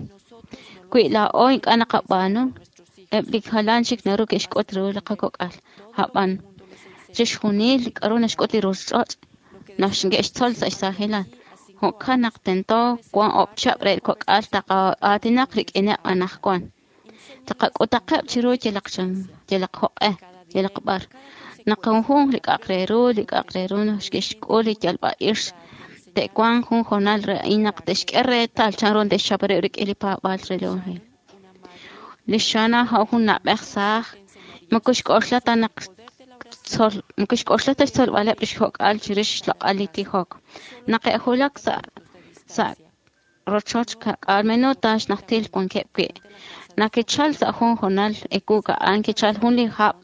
Wi laa'o ink'a' naqab'aanu, eb' li jalan chik naru ke'xk'ut ru li qakok'al. A'b'an chixjunil li k'a'ru naxk'ut li ruchich'och' naxke'xtzol sa' xsaajilal. Jo'kan naq tento wan oob' chihab' re li kok'al taqaatinaq rik'ineb' anaqwan. Taqak'utaqeb' chiru yalaq chan, yalaq jo'q'e, yalaq b'ar. Naq junjunq li k'a'aq re ru, li k'a'aq re ru naxke'xk'ul li yalb'a'ix te'wanq jun hoonal re a'in naq te'xk'e reetal chanru te'xchap rib' rik'in li paab'aal re li Evangelio. Li xana jun na'b'ej saaj moko xk'oxla ta naq tzol moko xk'oxla ta xtzolb'aleb' lix kok'al chirix xloq'al li tijok. Naq e'julak sa' sa' rochoch ka'k'aal minuta xnajtil wankeb' wi'. Naq kichal sa' jun hoonal ewu a'an kichal jun li hab'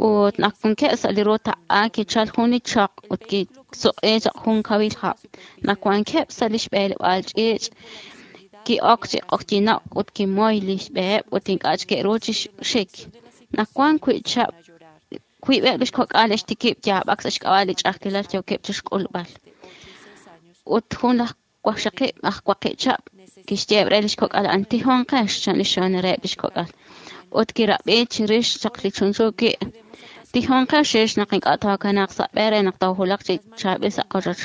ut naq wankeb' sa' li ru taq'a kichal jun li choq ut kisuq'i chaq jun kawil hab'. Naq wankeb' sa' li xb'eleb'aal ch'iich' ki'ok chi q'oqyino'k ut kimoy li xb'eheb' ut ink'a' chik ke'ru chi xik. Naq wan wi' chab' wiib'eb' lix kok'al xtikib' yaab'ak sa' xk'ab'a' li ch'a'ajkilal yookeb' chixk'ulb'al. Ut jun laj waqxaqib' aj waqib' chab' kixyeeb' re lix kok'al a'an tijonqex chan li xona reheb' lix kok'al. Ut kirab'i chirix chaq li chunchu wi' tijonqex chirix naq ink'a' tookanaaq sa' b'e re naq toojulaq chi chaab'il sa' qochoch.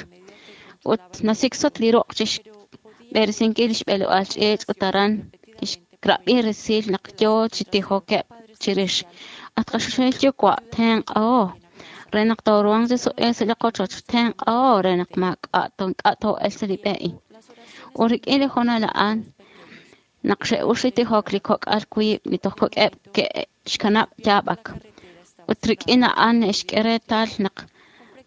Ut nasiksot li ruq' chixb'eresinkil lix b'eleb'aal ch'iich' ut aran kixrab'i resil naq yoo chi tijokeb' chirix. At qaxoxahil yuwa' tenq'aho re naq tooruhanq chi suq'iik sa' li qochoch, tenq'aho re naq maak'a' ink'a' too'elq sa' li b'e a'in. Ut rik'in li hoonal a'an naq xe'ux li tijok li kok'al wiib' li toj kok'eb' ke'xkanab' yaab'ak. Ut rik'in a'an xk'e reetal naq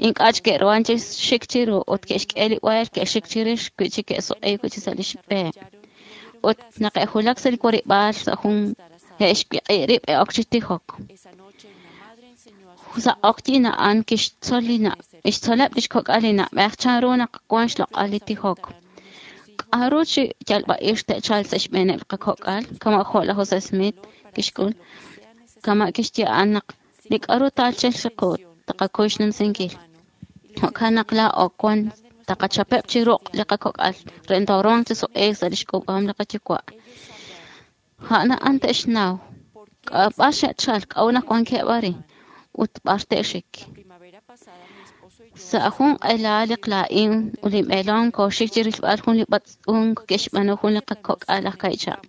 ink'a' chik ke'ruhan chi xik chiru ut ke'xk'e li b'eel ke'xik chirix wi' chik ke'suq'iik wi' chik sa' lix b'e. Ut naq e'julak sa' li warib'aal sa' jun e'xwiq'i rib' e'ok chi tijok. Sa' q'oqyin a'an kixtzol li na' kixtzoleb' lix kok'al li na'b'ej chanru naq wan xloq'al li tijok. K'a'ru chi yalb'a'ix te'chalq sa' xb'eeneb' li qakok'al, kama' jo' laj José Smith kixk'ul, kama' kixye a'an naq li k'a'ru taalchelq chiqu taqakuy xnumsinkil. Jo'kan naq laa'o wan taqachapeb' chi ruq' li qakok'al re tooruhanq chi suq'iik sa' lix k'uub'ahom li qayuwa'. A'an a'an te'xnaw b'ar xe'chal, k'a'ut naq wankeb' arin ut b'ar te'xik. Sa' jun q'ela li laa'in ut linb'eelom kooxik chi rilb'al jun li b'atz'unk ke'xb'aanu jun li qakok'al aj ka'ichab'.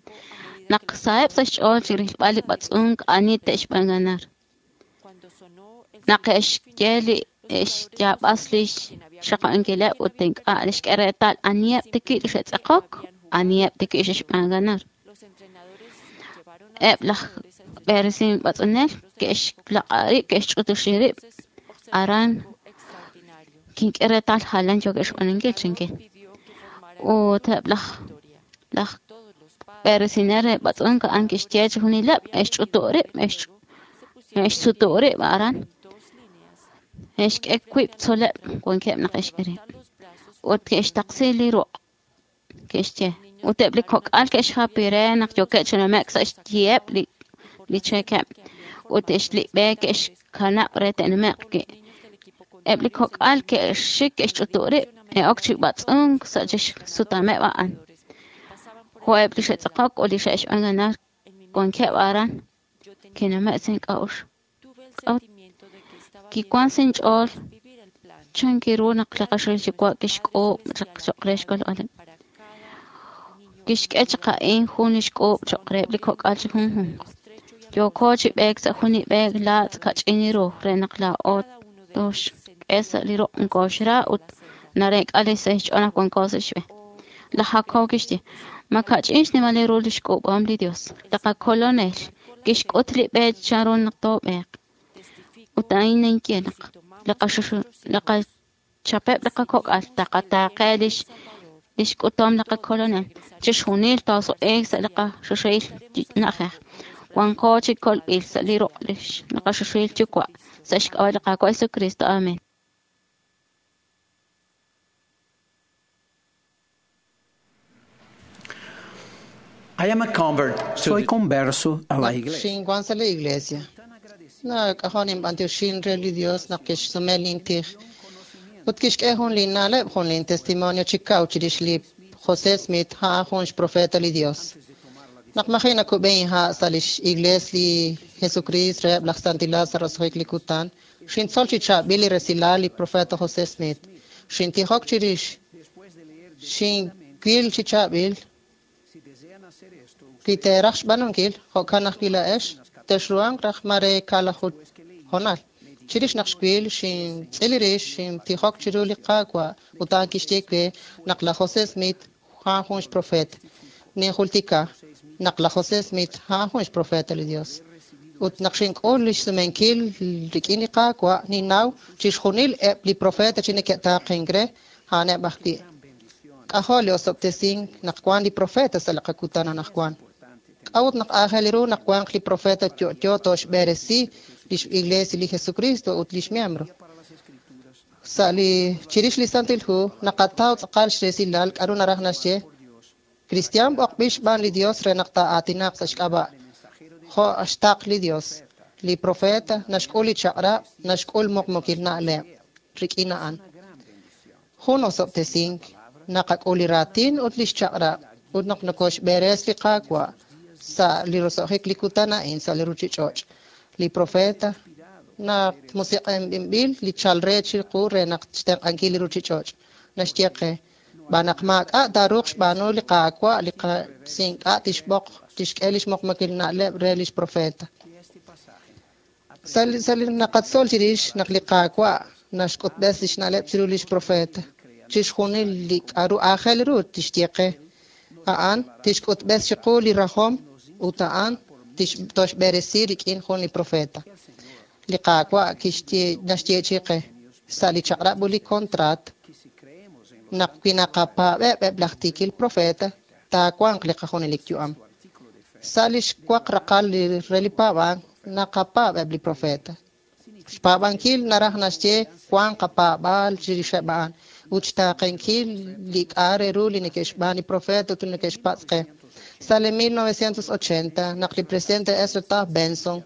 Naq saheb' sa' xch'ool chi rilb'al li b'atz'unk ani te'xb'aan ganar. Naq e'xye li e'xyaab'as li xxaqankileb' ut ink'a' xk'e reetal aniheb' tiki' li xe'tz'eqok, aniheb' tiki' xe'xb'aan ganar. Eb' laj b'eresin b'atz'unel ke'xlaq'a rib', ke'xch'utuxi rib' aran kink'e reetal jalan yookeb' xb'aanunkil chinkin. Ut eb' laj laj b'eresinel re b'atz'unk a'an kixye chixjunileb' e'xch'utu' rib', e'xsutu' rib' aran, e'xk'e wiib' tzoleb' wankeb' naq e'xk'e rib'. Ut ke'xtaqsi li ruq' ke'xye. Ut eb' li kok'al ke'xjapi re naq yookeb' chi nume'k sa' xyiheb' li li cheekeb' ut li b'e ke'xkanab' re te'nume'q wi'. Eb' li kok'al ke'xik ke'xch'utu' rib' e'ok chi b'atz'unk sa' chixsutameb' a'an. Jo'eb' li xe'tz'eqok ut li xe'xb'aan ganar wankeb' aran kinume' sa' ink'a'uxl. K'a'ut kiwan sa' inch'ool chan kiru naq li qaxoxahil yuwa' kixk'uub' chaq choq' re xkolb'aleb'. Kixk'e chaq a'in jun li xk'uub' choq' reheb' li kok'al chi junjunq. Yooko chi b'eek sa' jun li b'e laatz' kach'in ru re naq laa'o tooxk'e sa' li ruq' nkooxra ut nareek'a li sa' xch'ool naq wanko sa' xb'e. Laj Jacob kixye, ma kach'in xnimal ru li xk'uub'ahom li Dios. Li qakolonel kixk'ut li b'e chanru naq toob'eeq. Ut a'in ninye naq li qachapeb' li qakok'al taqataaqe lix lix k'utom li qakolonel. Chixjunil toosuq'iik sa' li qaxoxahil na'ajej. Wanko chi kolb'il sa' li ruq' li qaxoxahil yuwa' sa' xk'ab'a' li Qaawa' Jesucristo. Amen. I am a convert to Soy converso a la iglesia. Xinwan sa' la iglesia. Nak'ajon inb'antioxin re li Dios naq kixsume lintij. Ut kixk'e jun li na'leb' jun lin testimonio chi kaw chirix li José Smith a'an jun xprofeta li Dios. Naq maji' nakub'e inha' sa' lix iglees li Jesucrist reheb' laj santilal sa' roso'jik li kutan, xintzol chi chaab'il li resilal li profeta José Smith. Xintijok chirix, xinwil chi chaab'il wi teeraj xb'aanunkil, jo'kan ajwi' laa'ex texruhanq raj mare kaalaju hoonal. Chirix naq xwil, xintz'il rix, xintijok chiru li Qaawa' ut a'an kixye we naq laj José Smith a'an jun xprofeet. Ninjultika naq laj José Smith a'an jun xprofeta li Dios. Ut naq xink'ul lix sumenkil rik'in li Qaawa', ninnaw chixjunil eb' li profeta chi neke'taaqenk re a'aneb' ajwi'. K'ajo' li osob'tesink naq wan li profeta sa' li qakutan anaqwan. K'a'ut naq aajel ru naq wanq li profeta yo'yo toxb'eresi lix Iglesia li Jesucristo ut lix miembro. Sa' li chirix li Santil Hu naqataw tz'aqal xresilal k'a'ru naraj naxye Cristian b'oqb'il xb'aan li Dios re naq taa'aatinaq sa' xk'ab'a' jo' xtaql li Dios. Li profeta naxk'ul li chaq'rab', naxk'ul muqmukil na'leb' rik'in a'an. Jun osob'tesink naqak'ul li raatin ut lix chaq'rab' ut naq nokoxb'eres li Qaawa' sa' li roso'jik li kutan a'in sa' li ruchich'och'. Li profeta naq musiq'enb'il li chal re chiqu re naq xtenq'ankil li ruchich'och'. Naxye qe b'an naq maak'a' taaruuq xb'aanu li Qaawa' li si ink'a' tixb'oq tixk'e lix muqmukil na'leb' re lix profeta. Sa' li sa' li naqatzol chirix naq li Qaawa' naxk'utb'es lix na'leb' chiru lix profeta. Chixjunil li k'a'ru aajel ru tixye qe. A'an tixk'utb'es chiqu li rajom ut a'an toxb'eresi rik'in jun li profeta. Li Qaawa' kixye naxyeechi qe sa' li chaq'rab' ut li kontraat naq wi naqapaab'eb' eb' laj tiikil profeta taawanq li qajunelik yu'am. Sa' li xwaq raqal li re li paab'ank naqapaab' eb' li profeta. Xpaab'ankil naraj naxye wanq qapaab'aal chirixeb' a'an ut xtaaqenkil li k'a' re ru li neke'xb'aan li profeta ut li neke'xpatz' qe. Sa' li mil novecientos ochenta naq li presidente Ezra Taft Benson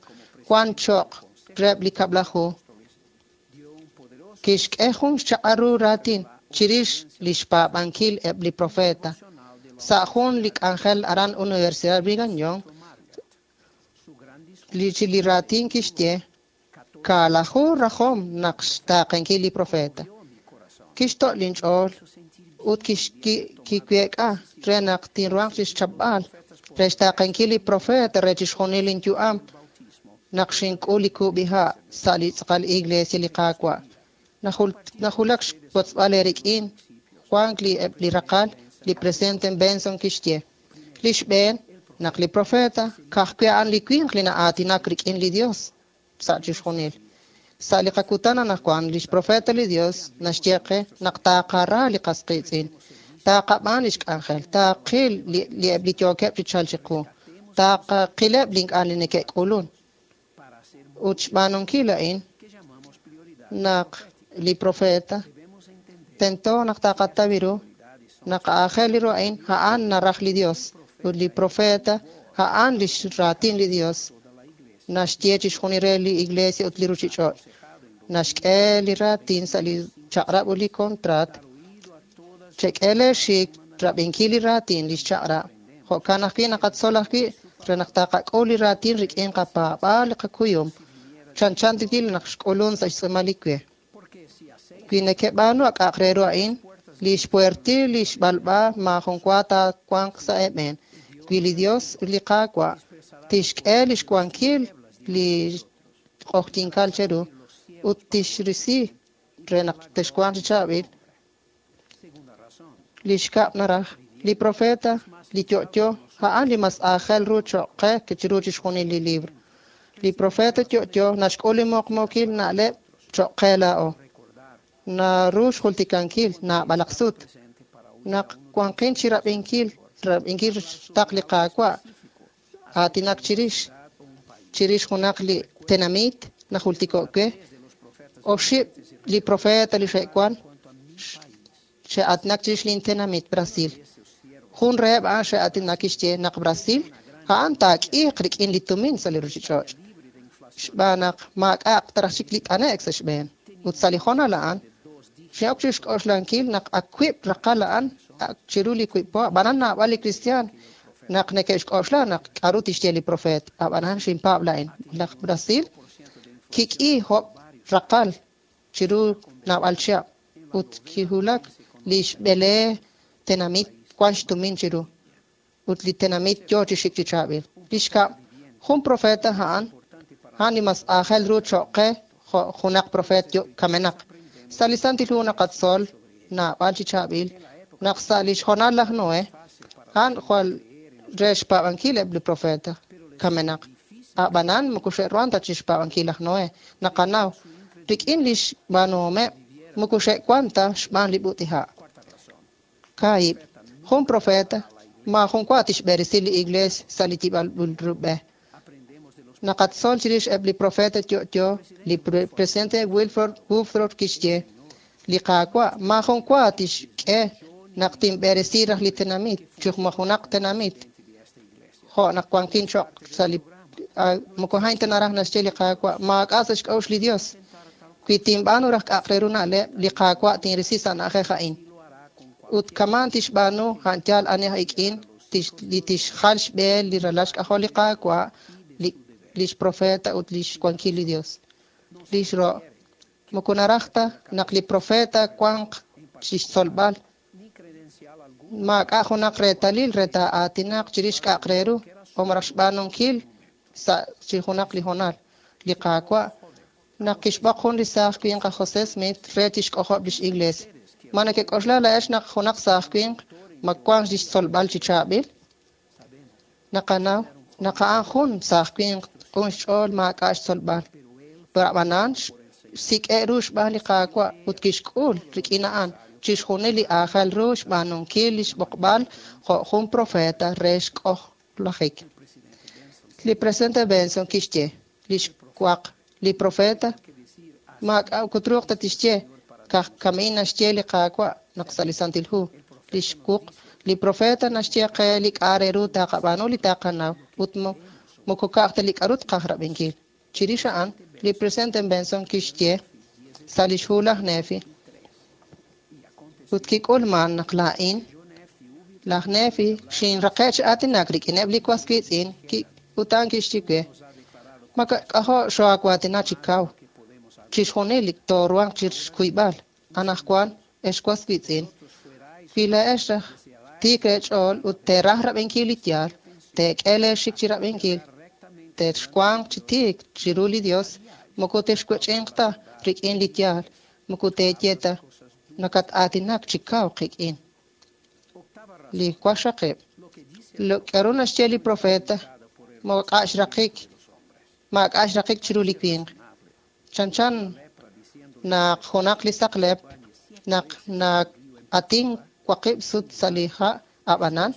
wan cho'q reheb' li kab'laju kixk'e jun xchaq'al ru raatin chirix li xpaab'ankil eb' li profeta. Sa' jun li k'anjel aran Universidad Brigham Young li chi li raatin kixye kaalaju rajom naq xtaaqenkil li profeta. Kixto' linch'ool ut kiweek'a re naq tinruhanq chixchapb'al re xtaaqenkil li profeta re chixjunil linyu'am naq xink'ul li kub'iha' sa' li tz'aqal Iglesia li Qaawa'. Najulak xwotzb'al eerik'in wank li eb' li raqal li presidente Benson kixye. Li xb'een naq li profeta ka'ajwi' a'an li winq li na'aatinak rik'in li Dios sa' chixjunil. Sa' li qakutan anaqwan lix profeta li Dios naxye qe naq taaqara li qas qiitz'in, taaqab'aan lix k'anjel, taaqil li eb' li yookeb' chi chalk chiqu, taaqileb' li ink'a' li neke'k'ulun. Ut xb'aanunkil a'in naq li profeta tento naq taqataw ru naq aajel ru a'in a'an naraj li Dios ut li profeta a'an lix raatin li Dios naxye chixjunil re li Iglesia ut li ruchich'och'. Naxk'e li raatin sa' li chaq'rab' ut li kontraat. Chek'e leexik rab'inkil li raatin lix chaq'rab'. Jo'kan ajwi' naqatzol ajwi' re naq taqak'ul li raatin rik'in qapaab'aal li qakuyum. Chanchan tikil naq xk'ulun sa' xtz'uumal li we. Wi neke'b'aanu ak'aq re ru a'in, li xpuertil li xb'alb'a maajun wa taawanq sa' eeb'en. Wi li Dios li Qaawa' tixk'e lix wankil li q'ojyinkal cheru ut tixrisi re naq texwanq chi chaab'il. Li xkab' naraj li profeta li yo'yo a'an li mas aajel ru cho'q qe chiru chixjunil li libro. Li profeta yo'yo naxk'ul li muqmuukil na'leb' cho'q qe laa'o. Naru xjultikankil naab'alaq sut naq wanqin chi rab'inkil rab'inkil xtaql li Qaawa' aatinak chirix chirix junaq li tenamit najultiko' we oxib' li profeta li xe'wan xe'aatinak chirix lintenamit Brasil. Jun reheb' a'an xe'aatinak kixye naq Brasil a'an taak'iiq rik'in li tumin sa' li ruchich'och' xb'aan naq maak'a'aq taraj chik li t'ane'k sa' xb'een. Ut sa' li hoonal a'an xin'ok chi xk'oxlankil naq ak wiib' raqal a'an chiru li wiib' po ab'anan naab'al li kristiaan naq neke'xk'oxla naq k'a'ru tixye li profeet. Ab'anan xinpaab' la'in. Laj Brasil kik'i job' raqal chiru naab'al chihab' ut kiwulak li xb'ele tenamit wan xtumin chiru ut li tenamit yo chi xik chi chaab'il. Li xkab' jun profeta a'an a'an li mas aajel ru cho'q qe jo' junaq profeet kamenaq. Sa' li Santil Hu naqatzol naab'al chi chaab'il naq sa' li xhoonal laj Noé a'an jwal re xpaab'ankil eb' li profeta kamenaq. A'b'anan moko xe'ruhan ta chixpaab'ankil laj Noe. Naqanaw rik'in lix b'aanuhomeb' moko xe'wan ta xb'aan li b'ut'iha'. Kaahib', jun profeta maajun wa tixb'eresi li iglees sa' li yib'al b'e. Naqatzol chirix eb' li profeta yo'yo, li presidente Wilford Woodruff kixye, li Qaawa' maajun wa tixk'e naq tinb'eresi raj li tenamit, chujmajunaq tenamit, jo' naq wankin choq' sa' li moko hain ta naraj naxye li Qaawa' maak'a' sa' xk'a'uxl li Dios. Wi tinb'aanu raj k'a'aq re ru na'leb', li Qaawa' tinrisi sa' na'ajej a'in. Ut kaman tixb'aanu a'an yaal ani ik'in li tixjal xb'e li ralal xk'ajol li Qaawa', li lix profeta ut lix wankil li Dios. Lix ro' moko naraj ta naq li profeta wanq chixtzolb'al maak'a' junaq reetalil re taa'aatinaq chirix k'a'aq re ru o maraj xb'aanunkil sa' chi junaq li honal. Li Qaawa' naq kixb'oq jun li saaj winq aj José Smith re tixk'ojob' lix iglees. Ma nakek'oxla laa'ex naq junaq saaj winq ma wank lix tzolb'al chi chaab'il? Naqanaw naq a'an jun saaj winq q'un xch'ool maak'a' xtzolb'al. A'b'anan xsik'e' ru xb'aan li Qaawa' ut kixk'ul rik'in a'an chixjunil li aajel ru xb'aanunkil lix b'oqb'al jo' jun profeta re xk'ojlajik. Li presidente Benson kixye lix waq li profeta maak'a' kutruuq ta tixye kaj kamiin naxye li Qaawa' naq sa' li Santil Hu. Lix wuq li profeta naxye qe li k'a' re ru taqab'aanu li taqanaw ut moko ka'aj ta li k'a'ru tqaj rab'inkil. Chirix a'an li presidente Benson kixye sa' lix hu laj Nefi ut kik'ulman naq laa'in laj Nefi xinraqe' chi aatinak rik'ineb' li was wiitz'in ut a'an kixye we ma k'ajo' xoawaatina chi kaw chixjunil li tooruhanq chixkuyb'al anaqwan ex was wiitz'in wi laa'ex raj tiik eech'ool ut teeraj rab'inkil li yaal teek'e leexik chi rab'inkil texwanq chi tiik chiru li Dios moko texwech'inq ta rik'in li yaal moko teeye ta nakat-aatinak chi kaw qik'in. Li waqxaqib' lo k'aru naxye li profeta maak'a' xraqik maak'a' xraqik chiru li winq. Chanchan naq junaq li saqlep naq na'atin waqib' sut sa' li ha' a'b'anan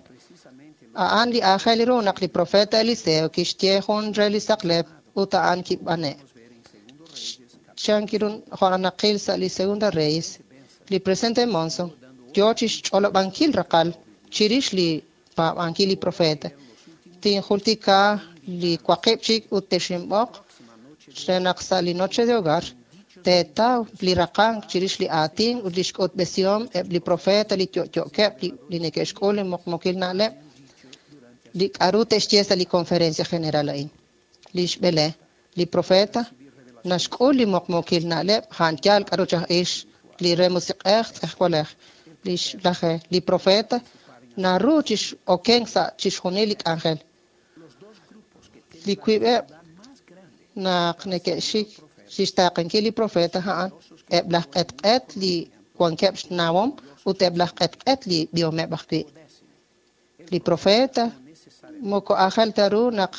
a'an li aajel ru naq li profeta Eliseo kixye jun re li saqlep ut a'an kib'ane'. Chan kiru jo' naqil sa' li Segunda Reyes, li presidente Monson yo chixch'olob'ankil raqal chirix li paab'ankil li profeta. Tinjultika li waqib' chik ut texinb'oq re naq sa' li noche de hogar teetaw li raqank chirix li aatin ut li xk'utb'esihom eb' li profeta li yo'yo'keb' li neke'xk'ul li muqmuqil na'leb' li k'a'ru te'xye sa' li conferencia general a'in. Li xb'ele, li profeta naxk'ul li muqmuqil na'leb' a'an yaal k'a'ru chaj ix li re musiq'ej tz'ejwalej. Li xlaje, li profeta naru chix'okenk sa' chixjunil li k'anjel. Li wiib'eb' naq neke'xik chixtaaqenkil li profeta a'an eb' laj q'etq'et li wankeb' xnawom ut eb' laj q'etq'et li b'ihomeb' ajwi'. Li profeta moko aajel ta ru naq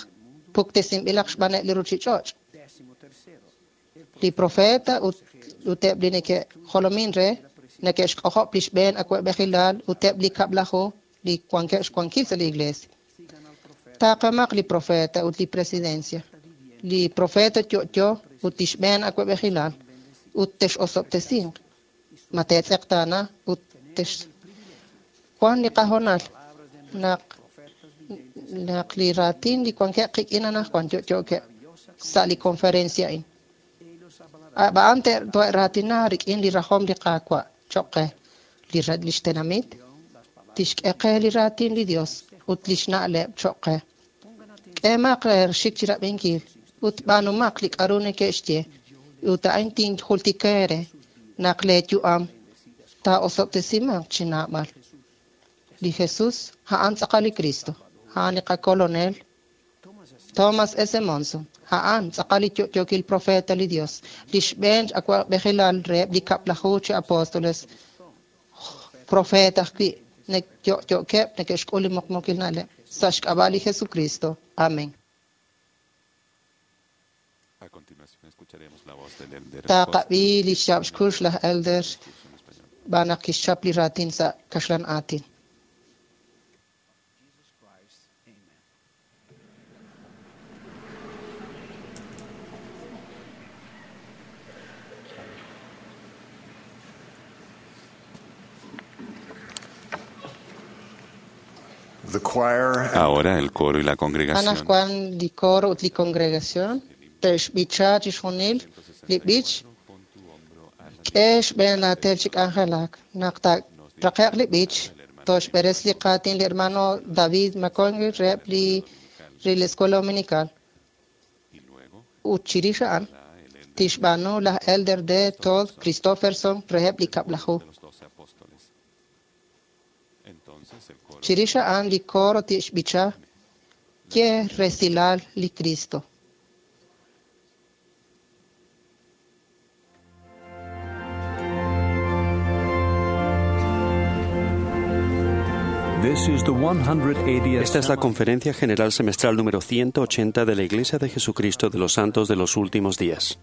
puktesinb'ilaq xb'aaneb' li ruchich'och'. Li profeta ut ut eb' li neke'jolomin re neke'xk'ojob' li xb'een awa'b'ejilal ut eb' li kab'laju li wankeb' xwankil sa' li iglesia. Taaqemaq li profeta ut li presidencia. Li profeta yo'yo ut li xb'een awa'b'ejilal ut tex'osob'tesinq. Ma teetz'eqtaana ut tex wan li qahonal naq naq li raatin li wankeb' qik'in anaqwan yo'yo'keb' sa' li conferencia a'in. A'an te'raatina rik'in li rajom li Qaawa' choq' qe li lix tenamit tixk'e qe li raatin li Dios ut lix na'leb' choq' qe. K'emaq xik chi rab'inkil ut b'aanumaq li k'a'ru neke'xye ut a'in tinjultika eere naq leeyu'am taa'osob'tesimanq chi naab'al. Li Jesús a'an tz'aqal li Cristo, a'an li qakolonel. Thomas S. Monson, a'an tz'aqal li yo'yookil profeta li Dios, li xb'een awa'b'ejilal reheb' li kab'laju chi apóstoles, profeta ajwi' yo'yo'keb' neke'xk'ul li muqmuukil na'leb' sa' xk'ab'a' li Jesucristo. Amen. Taqab'i li xyaab' xkux laj Elder xb'aan naq kixchap li raatin sa' kaxlan aatin. The choir Ahora el coro y la congregación Anaqwan li coro ut li congregación te'xb'icha chixjunil li b'ich k'e xb'een laatel chi k'anjelak. Naq taaraqe'q li b'ich, toxb'eres li qaatin li hermano David McConkie reheb' li re la Escuela Dominical. Ut chirix a'an tixb'aanu laj Elder D. Todd Christofferson reheb' li kab'laju. Chirix a'an li coro tixb'icha ye resilal li Cristo. Esta es la Conferencia General Semestral número ciento ochenta de la Iglesia de Jesucristo de los Santos de los Últimos Días.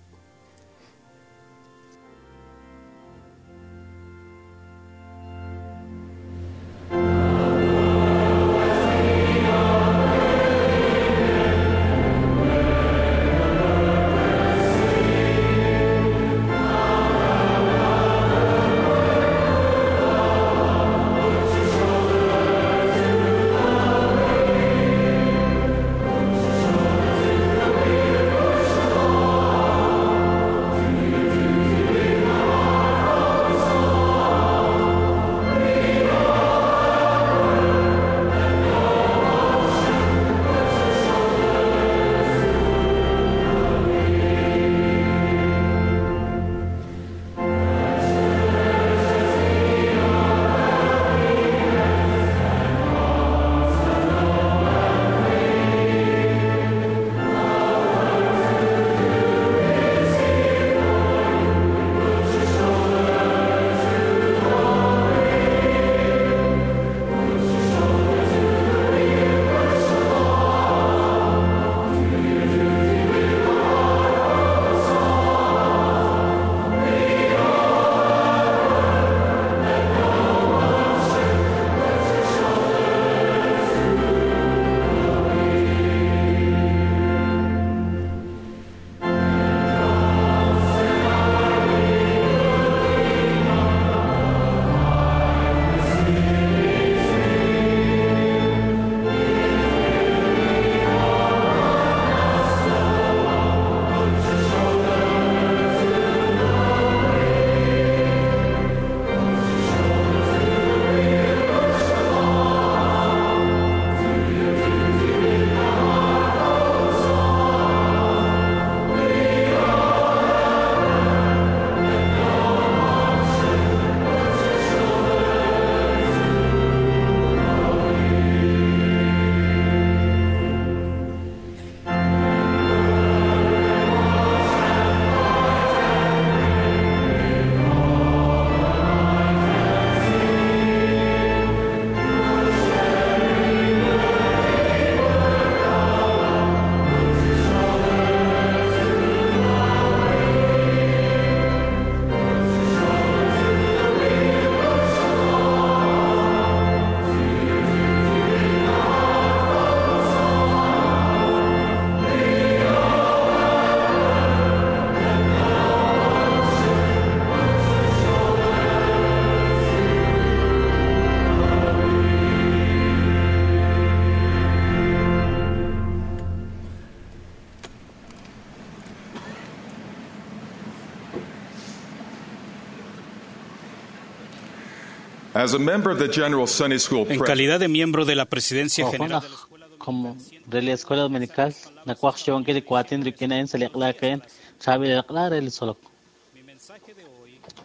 As a member of the General Sunday School En calidad de miembro de la Presidencia General de la como de la Escuela Dominical,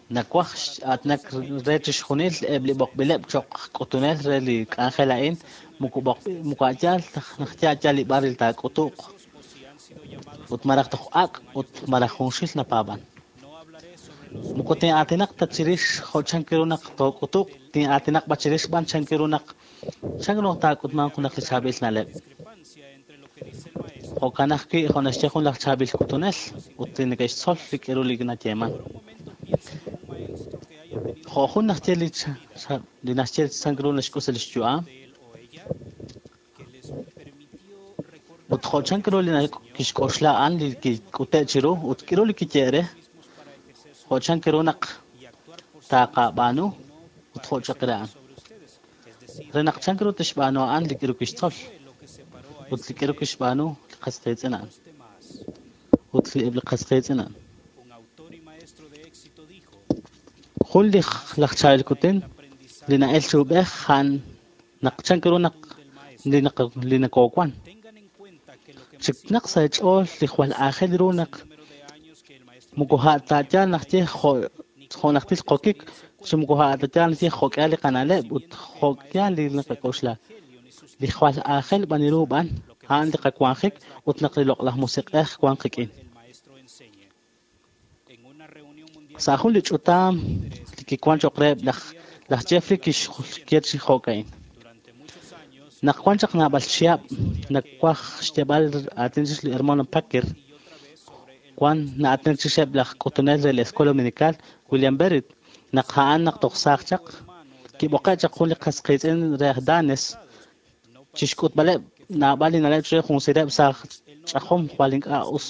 nakwaj atnak re chixjunil eb' li b'oqb'ileb' cho'q k'utunel re li k'anjel a'in muku muku a'yaal naq ya'yal li b'ar taak'utu'q ut malaj toj ak' ut malaj junxil napaab'an. Moko tin'aatinaq ta chirix jo' chan ru naq took'utuq, tin'aatinaq b'a chirix b'an chan ru naq chan ru taak'utmanq junaq li chaab'il na'leb'. Jo'kan ajwi' jo' naxye jun laj chaab'il k'utunel ut li neke'xtzol li k'aru li nayeeman. Jo' jun naxye li li naxye chan ru naxk'us li xyu'am ut jo' chan ru li kixk'oxla a'an li kik'ute' chiru ut k'aru li kiye re jo' chan ru naq taaqab'aanu ut jo' chaq re a'an. Re naq chan ru tixb'aanu a'an li k'aru kixtzol ut li k'aru kixb'aanu li qas qiitz'in a'an ut li eb' li qas qiitz'in a'an. Jun li laj chaab'il kutin li na'el chi ub'ej a'an naq chan ru naq li naq li nakoowan. Chiknaq sa' ch'ool li jwal aajel ru naq moko ha'ta'yal naxye jo' jo' najtil qokik chi moko ha'ta'yal naxye jo'k'ihal li qana'leb' ut jo'k'ihal li naqak'oxla. Li jwal aajel b'an ru b'an a'an li qawanjik ut naq li loq'laj musiq'ej wan qik'in. Sa' jun li ch'utam li kiwan cho'q reheb' laj laj Jeffrey kixye chi jo'ka'in. Naq wan chaq naab'al chihab' nakwaj xyeeb'al aatin chix li hermano Packer wan na'aatinak chixeb' laj k'utunel re la Escuela Dominical William Berrit naq a'an naq toj saaj chaq kib'oqe' chaq jun li qas qiitz'in re aj Danes chixk'utb'aleb' naab'al li na'leb' chire jun sireb' sa' ch'ajom jwal ink'a' us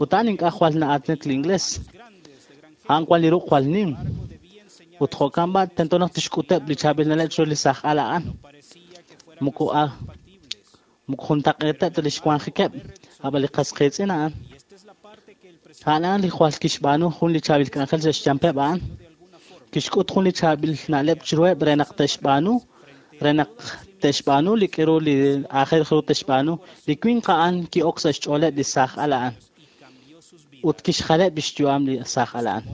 ut a'an ink'a' jwal na'aatinak li inglés a'an wan li ruq' jwal nim ut jo'kan b'a tento naq tixk'uteb' li chaab'il na'leb' chire li saaj al a'an moko a moko juntaq'eeteb' ta li xwanjikeb' ab'an li qas qiitz'in a'an a'an a'an li jwal kixb'aanu jun li chaab'il k'anjel sa' xyampeb' a'an kixk'ut jun li chaab'il na'leb' chiruheb' re naq te'xb'aanu re naq te'xb'aanu li k'aru li aajel ru te'xb'aanu li winq a'an ki'ok sa' xch'ooleb' li saaj al a'an ut kixjaleb' li xyu'am li saaj al a'an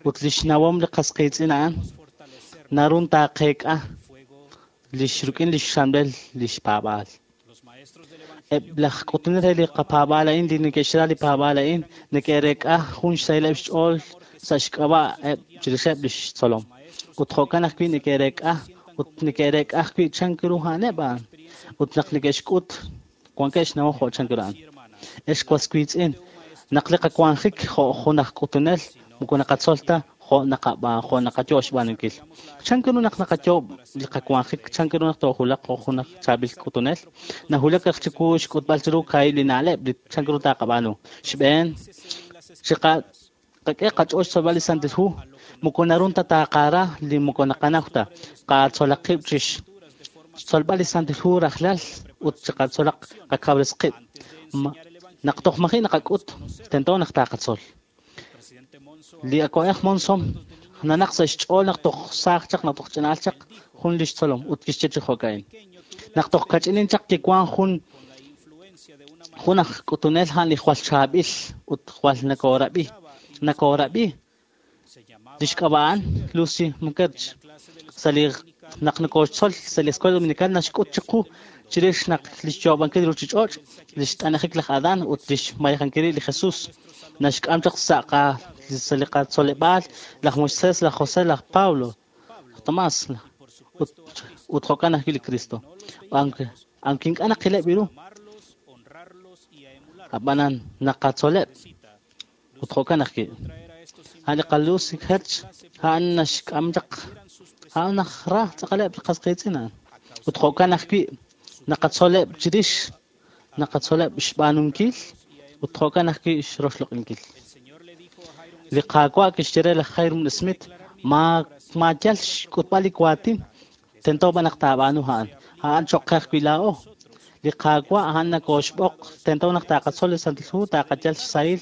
ut li xnawom li qas qiitz'in a'an naru taaqeek'a lix rik'in lix xamb'el lix paab'aal. Eb' laj k'utunel re li qapaab'aal a'in li neke'xra li paab'aal a'in neke'reek'a jun xsahileb' xch'ool sa' xk'ab'a' eb' chirixeb' lix tzolom. Ut jo'kan ajwi' neke'reek'a ut neke'reek'a ajwi' chan ru a'aneb' a'an ut naq neke'xk'ut wankeb' xnawom jo' chan ru a'an. Ex was wiitz'in naq li qawanjik jo' jun aj k'utunel moko naqatzol ta jo' naqab'a jo' naqayo' xb'aanunkil. Chan ru naq naqayo' li qawanjik chan ru naq toojulaq jo' jun aj chaab'il k'utunel nahulak raj chiwu xk'utb'al chiru kaahib' li na'leb' li chan ru taaqab'aanu. Xb'een chiqa qak'e qach'ool xtzolb'al li Santil Hu moko naru ta taaqara li moko naqanaw ta qatzolaq qib' chix xtzolb'al li Santil Hu rajlal ut chiqatzolaq qakawres qib' naq toj maji' naqak'ut tento naq taaqatzol. Li awa'b'ej Monson nanaq sa' xch'ool naq toj saaj chaq naq toj ch'ina'al chaq jun li xtzolom ut kixye chi jo'ka'in. Naq toj kach'inin chaq kiwan jun jun aj k'utunel a'an li jwal chaab'il ut jwal nakoorab'i nakoorab'i li xk'ab'a' a'an Lucy Mukherjee sa' li naq nakooxtzol sa' li Escuela Dominical naxk'ut chiqu chirix naq li xyoob'ankil ruuchich'och' li xt'anajik laj Adán ut li xmayejankil li Jesús naxk'am chaq sa' qa sa' li qatzoleb'aal laj Moisés, laj José, laj Pablo, laj Tomás ut ut jo'kan ajwi' li Cristo. Aunque aunque ink'a' naqileb' ru ab'anan naqatzoleb' ut jo'kan ajwi' a'an li qaLucy Herch a'an naxk'am chaq a'an najra tz'aqaleb' li qas qiitz'in a'an ut jo'kan ajwi' naqatzoleb' chirix naqatzoleb' xb'aanunkil ut jo'kan ajwi' xroxloq'inkil. Li Qaawa' kixye re laj Hyrum Smith ma maayal xk'utb'al li waatin tento b'an naq taab'aanu a'an a'an cho'q qe ajwi' laa'o. Li Qaawa' a'an nakooxb'oq tento naq taaqatzol li Santil Hu taaqayal xsahil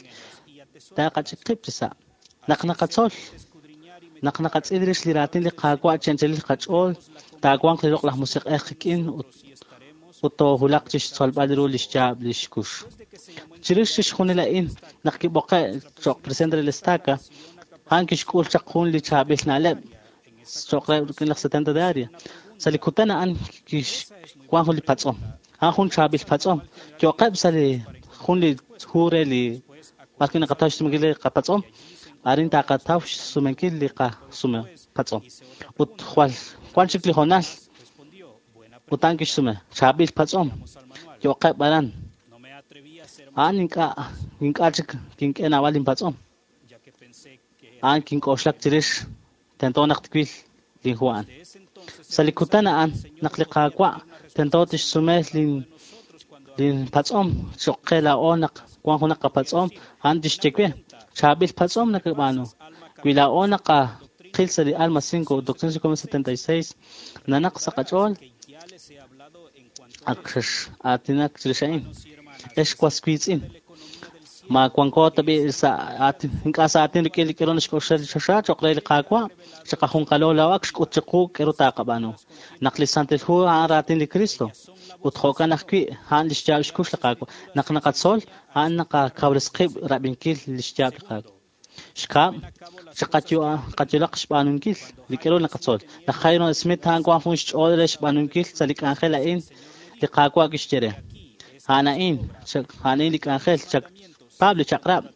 taaqach'ik qib' chi sa'. Naq naqatzol naq naqatz'il rix li raatin li Qaawa' chi anchalil qach'ool taawanq li loq'laj musiq'ej qik'in ut ut toohulaq chi xtzolb'al ru li xyaab' li xkux. Chirix chixjunil a'in naq kib'oqe' cho'q presidente de la estaca a'an kixk'ul chaq jun li chaab'il na'leb' cho'q re rik'in laj setenta de área. Sa' li kutan a'an kixwan jun li patz'om a'an jun chaab'il patz'om yo'qeb' sa' li jun li hu re li b'ar wi' naqataw xsumenkil li qapatz'om Arin taqataw xsumenkil li qasume patz'om. Ut jwal wan chik li hoonal ut a'an kixsume chaab'il patz'om yo'qeb' aran. A'an ink'a' ink'a' chik kink'e naab'al inpatz'om. A'an kink'oxlak chirix tento naq twil linhu a'an. Sa' li kutan a'an naq li Qaawa' tento tixsume lin linpatz'om cho'q qe laa'o naq wan junaq qapatz'om a'an tixye we chaab'il patz'om nakab'aanu. Wi laa'o naqaqil sa' li Alma cinco ut Doctrina y Convenios setenta y seis nanaq sa' qach'ool ak xex-aatinak chirix a'in. Ex was wiitz'in ma wanko tab'i' sa' aatin ink'a' sa' aatin rik'in li k'aru naxk'oxla li choxa cho'q re li Qaawa' chiqajunqalo laa'o ak xk'ut chiqu k'aru taqab'aanu. Naq li Santil Hu a'an raatin li Cristo ut jo'kan ajwi' a'an li xyaab' xkux li Qaawa'. Naq naqatzol a'an naqakawres qib' rab'inkil li xyaab' li Qaawa'. Xkab' chiqayulaq xb'aanunkil li k'aru naqatzol. Laj Hyrum Smith a'an wan jun xch'ool re xb'aanunkil sa' li k'anjel a'in li Qaawa' kixye re. A'an a'in a'an a'in li k'anjel paab' li chaq'rab'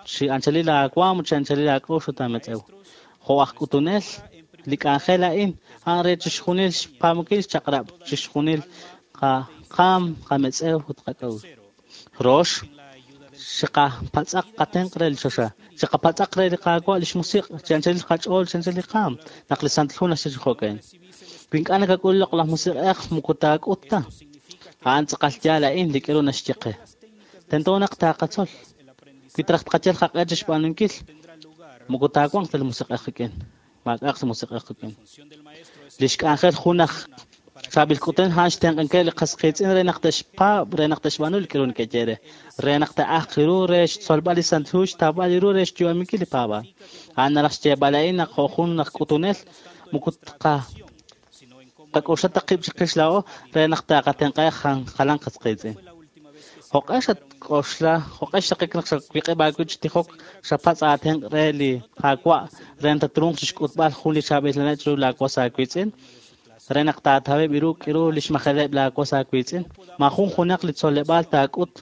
chi anchalil aawaam ut chi anchalil aak'ux ut aametz'ew. Jo' aj k'utunel li k'anjel a'in a'an re chixjunil xpaamukil xchaq'rab' chixjunil qaam qametz'ew ut qak'a'uxl. Rox chiqapatz'aq qatenq' re li choxa. Chiqapatz'aq re li Qaawa' li xmusiq' chi anchalil qach'ool chi anchalil qaam naq li Santil Hu naxye chi jo'kan. Wi ink'a' nakak'ul loq'laj musiq'ej moko taak'ut ta. A'an tz'aqal yaal a'in li k'aru naxye qe. Tento naq taqatzol. Wi traj tqayal qaq'e chi xb'aanunkil moko taawanq ta li musiq'ej qik'in. Maak'a'aq li musiq'ej qik'in. Li xk'anjel jun aj chaab'il k'utunel a'an xtenq'ankil li qas qiitz'in re naq te'xpaab' re naq te'xb'aanu li k'aru neke'ye re. Re naq te'ajq ru re xtzolb'al li Santil Hu xtawb'al ru re xyu'aminkil li paab'aal. A'an naraj xyeeb'al a'in naq jo' jun aj k'utunel moko tqa qak'oxla ta qib' chiqix laa'o re naq taqatenq'aheb' jalan qas qiitz'in. Jo'q'e xatk'oxla jo'q'e xtaqik naq xawiq'ib' aawib' chi tijok xapatz' aatenq' re li Qaawa' re naq tatruuq chixk'utb'al jun li chaab'il na'leb' chiru laawas aawiitz'in re naq taataweb' ru k'aru li xmajeleb' laawas aawiitz'in. Maajun junaq li tzoleb'aal taak'ut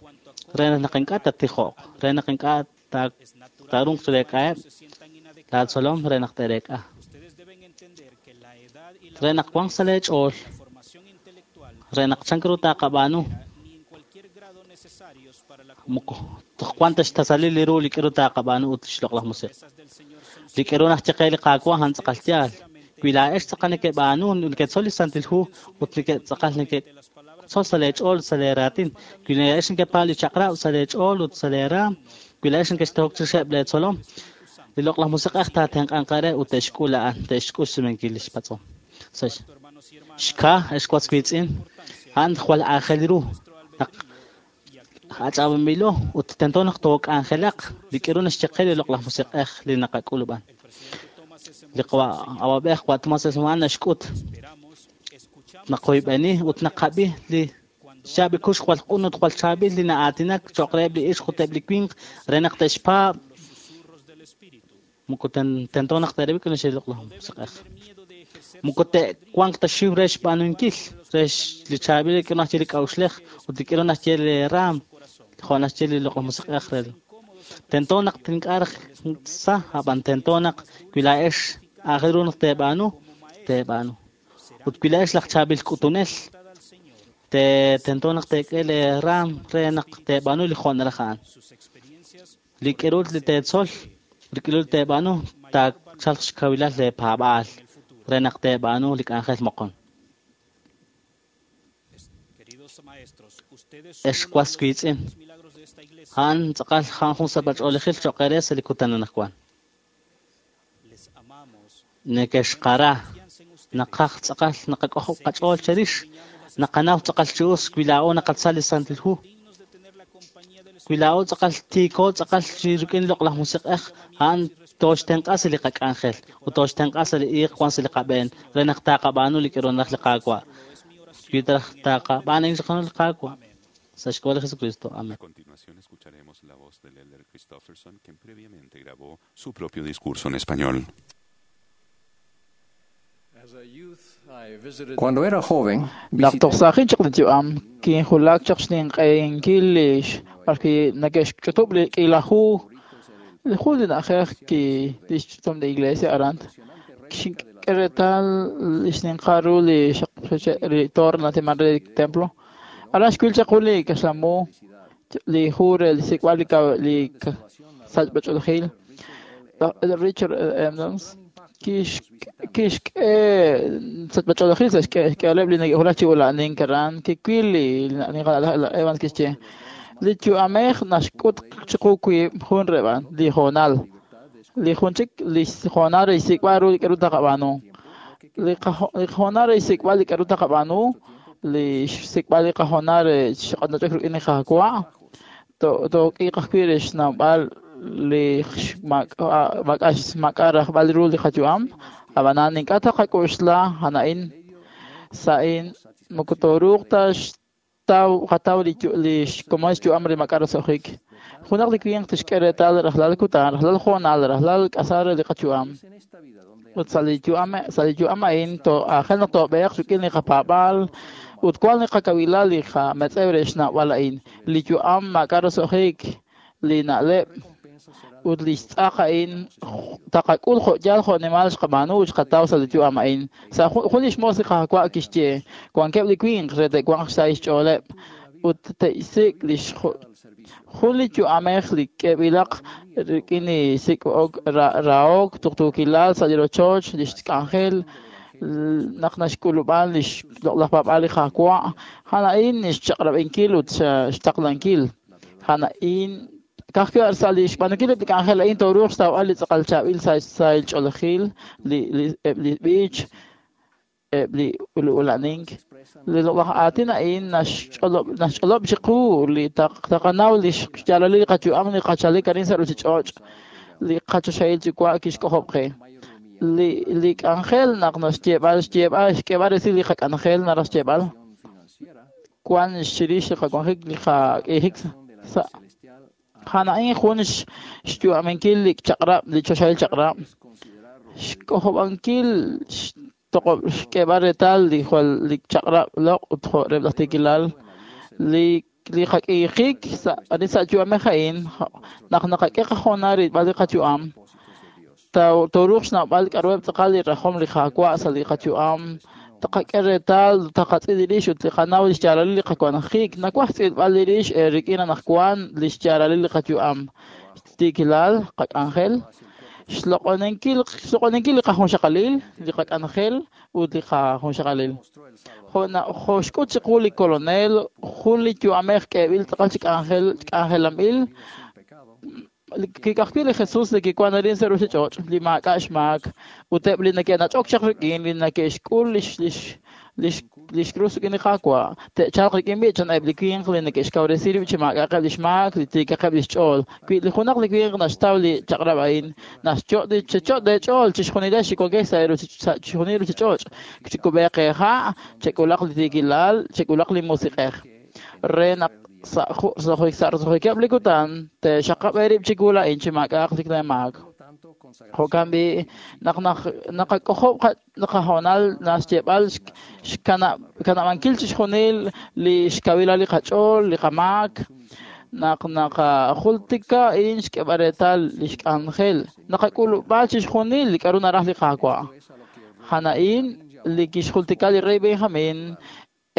re naq ink'a' tattijoq re naq ink'a' taaruuq chireek'aheb' laatzolom re naq te'reek'a. Re naq wanq sa' leech'ool re naq chan ru taqab'aanu moko toj wan ta xtasalil li ru li k'aru taqab'aanu ut li xloq'laj musiq'. Li k'aru naxye qe li Qaawa' a'an tz'aqal yaal. Wi laa'ex tz'aqal neke'b'aanu neketzol li Santil Hu ut neke'tz'aqal neke'tzol sa' leech'ool sa' leeraatin. Wi laa'ex nekepaab' li chaq'rab' sa' leech'ool ut sa' leeraam. Wi laa'ex nekextehok chirixeb' leetzolom li loq'laj musiq'ej taatenq'anq re ut te'xk'ul a'an te'xk'ul xsumenkil li xpatz'om. Xka ex was wiitz'in a'an jwal aajel ru naq ach'ab'anb'ilo ut tento naq took'anjelaq li k'aru naxye qe li loq'laj musiq'ej li naqak'ulub'an. Li awab'ej wa Tomás Esman naxk'ut naqoyb'eni ut naqab'i li xyaab' li kux jwal q'un ut jwal chaab'il li na'aatinak cho'q reheb' li ixq ut eb' li winq re naq te'xpaab' moko tento naq te'rab'i k'aru naxye li loq'laj musiq'ej. Moko te'wanq ta xiw re xb'aanunkil re li chaab'il li k'aru naxye li k'a'uxlej ut li k'aru naxye li raam jo' naxye li loq'laj musiq'ej re. Tento naq ink'a' raj sa ab'an tento naq wi laa'ex aajel ru naq teeb'aanu teeb'aanu. Ut wi laa'ex laj chaab'il k'utunel te tento naq teek'e leeraam re naq teeb'aanu li jo' naraj a'an. Li k'aru li teetzol li k'aru li teeb'aanu taachalq xkawilal leepaab'aal re naq teeb'aanu li k'anjel moqon. Ex was wiitz'in a'an tz'aqal a'an jun sachb'ach'oolejil cho'q eere sa' li kutan anaqwan. Nekexqara naqaj tz'aqal naqak'ojob' qach'ool cherix naqanaw tz'aqal chi us wi laa'o naqatzal li Santil Hu. Wi laa'o tz'aqal tiiko tz'aqal chi rik'in loq'laj musiq'ej a'an tooxtenq'a sa' li qak'anjel ut tooxtenq'a sa' li iiq wan sa' li qab'een re naq taqab'aanu li k'aru naraj li Qaawa'. Wi traj taqab'aan a'in xqanu li Qaawa'. Sa' xk'ab'a' li Jesucristo. Amén. A continuación escucharemos la voz del Elder Christofferson, quien previamente grabó su propio discurso en español. Cuando era joven, Naq toj saajin chaq li yu'am kinjulak chaq xninq'ehinkil li b'arwi' neke'xch'utub' li k'iila hu Li jun li na'ajej ki lix ch'utam li iglesia aran xink'e reetal li xninqal ru li xaq li torre natiman re li templo. Aran xwil chaq jun li kaxlamu li hu re li sik'b'al li li sachb'ach'oolejil. Richard Evans kixk'e sachb'ach'oolejil sa' xk'ehaleb' li neke'wulak chi ula'anink aran. Kiwil li Evans kixye li yu'amej naxk'ut chiqu wiib' jun reb'an li hoonal. Li jun chik li hoonal re xsik'b'al ru li k'a'ru taqab'aanu. Li hoonal re xsik'b'al li k'a'ru taqab'aanu, li xsik'b'al li qahoonal re xq'anach'ok rik'in li Qaawa', took'iiq ajwi' re xnawb'al li maak'a' rajb'al ru li qayu'am. Ab'anan ink'a' taqak'oxla a'in sa'in moko tooruuq ta qataw li xkomon xyu'am re maak'a' roso'jik. Junaq li winq tixk'e reetal rajlal kutan, rajlal hoonal, rajlal k'asal re li qayu'am. Ut sa' li yu'am sa' li yu'am a'in aajel naq toob'eeq rik'in li qapaab'aal ut wan li qakawilal li qametz'ew re xnawb'al a'in. Li yu'am maak'a' roso'jik, li na'leb' ut li xtz'aq a'in taqak'ul jo' yaal jo' nimal xqab'aanu ut xqataw sa' li yu'am a'in. Sa' jun li xmoos li Qaawa' kixye wankeb' li winq re te'wanq xsahil xch'ooleb' ut te'xsik' li jun li yu'amej li k'eb'ilaq rik'in li sik'ok rahok tuqtuukilal sa' li rochoch li xk'anjel naq naxk'ulub'an li xloq'laj paab'aal li Qaawa'. A'an a'in xchaq'rab'inkil ut xtaqlankil. A'an a'in ka'ajwi' sa' li xb'aanunkil eb' li k'anjel a'in tooruuq xtawb'al li tz'aqal chaab'il sa' sahil ch'oolejil, li eb' li b'ich, eb' li ula'anink. Li loq'laj aatin a'in naxch'olob' naxch'olob' chiqu li taqanaw li xyaalalil li qayu'am li qachalik arin sa' ruchich'och' li qachoxahil Yuwa' kixk'ojob' qe. Li li k'anjel naq naxyeeb'al xyeeb'al xk'eeb'al resil li qak'anjel naraj xyeeb'al wan chirix li qawanjik li qak'iijik sa' a'an a'in jun xyu'aminkil li chaq'rab' li choxahil chaq'rab' xk'ojob'ankil xtoqob' xk'eeb'al reetal li jwal li chaq'rab' loq' ut jo' reb' laj tiikilal li li qak'iijik sa' arin sa' yu'amej a'in naq naqak'e qahoonal rilb'al li qayu'am tooruuq xnawb'al k'a'ruheb' tz'aqal li rajom li Qaawa' sa' li qayu'am. Taqak'e reetal taqatz'il li rix ut li qanaw li xyaalalil li qawanjik. Nawaj xtz'ilb'al li rix rik'in anaqwan li xyaalalil li qayu'am, tiikilal, qak'anjel, xloq'oninkil xloq'oninkil li qajunxaqalil, li qak'anjel ut li qajunxaqalil. Jo' jo' xk'ut chiqu li kolonel jun li yu'amej k'eeb'il tz'aqal chi k'anjel k'anjelanb'il. Kik'ajwi' li Jesus li kiwan arin sa' ruchich'och' li maak'a' xmaak ut eb' li neke'nach'ok chaq rik'in li neke'xk'ul lix lix lix lix krus rik'in li Qaawa' te'chalq rik'in b'ich eb' li winq li neke'xkawresi rib' chi maak'a'aqeb' lix maak li tiikaqeb' lix ch'ool. Wi li junaq li winq naxtaw li chaq'rab' a'in naxcho' checho' leech'ool chixjunilex li wankex sa' chixjunil ruchich'och' chikub'eeq eeha' chek'ulaq li tiikilal chek'ulaq li musiq'ej re naq sa' sa' roso'jikeb' li kutan te'xaqab' eerib' chiwu la'in chi maak'a'aq li maak. Jo'kan b'i' naq naqak'ojob' qahoonal naxyeeb'al xkanab'ankil chixjunil li xkawilal li qach'ool li qamaak naq naqajultika a'in xk'eeb'al reetal li xk'anjel naqak'ulub'a chixjunil li k'a'ru naraj li Qaawa'. A'an a'in li kixjultika li rey Benjamin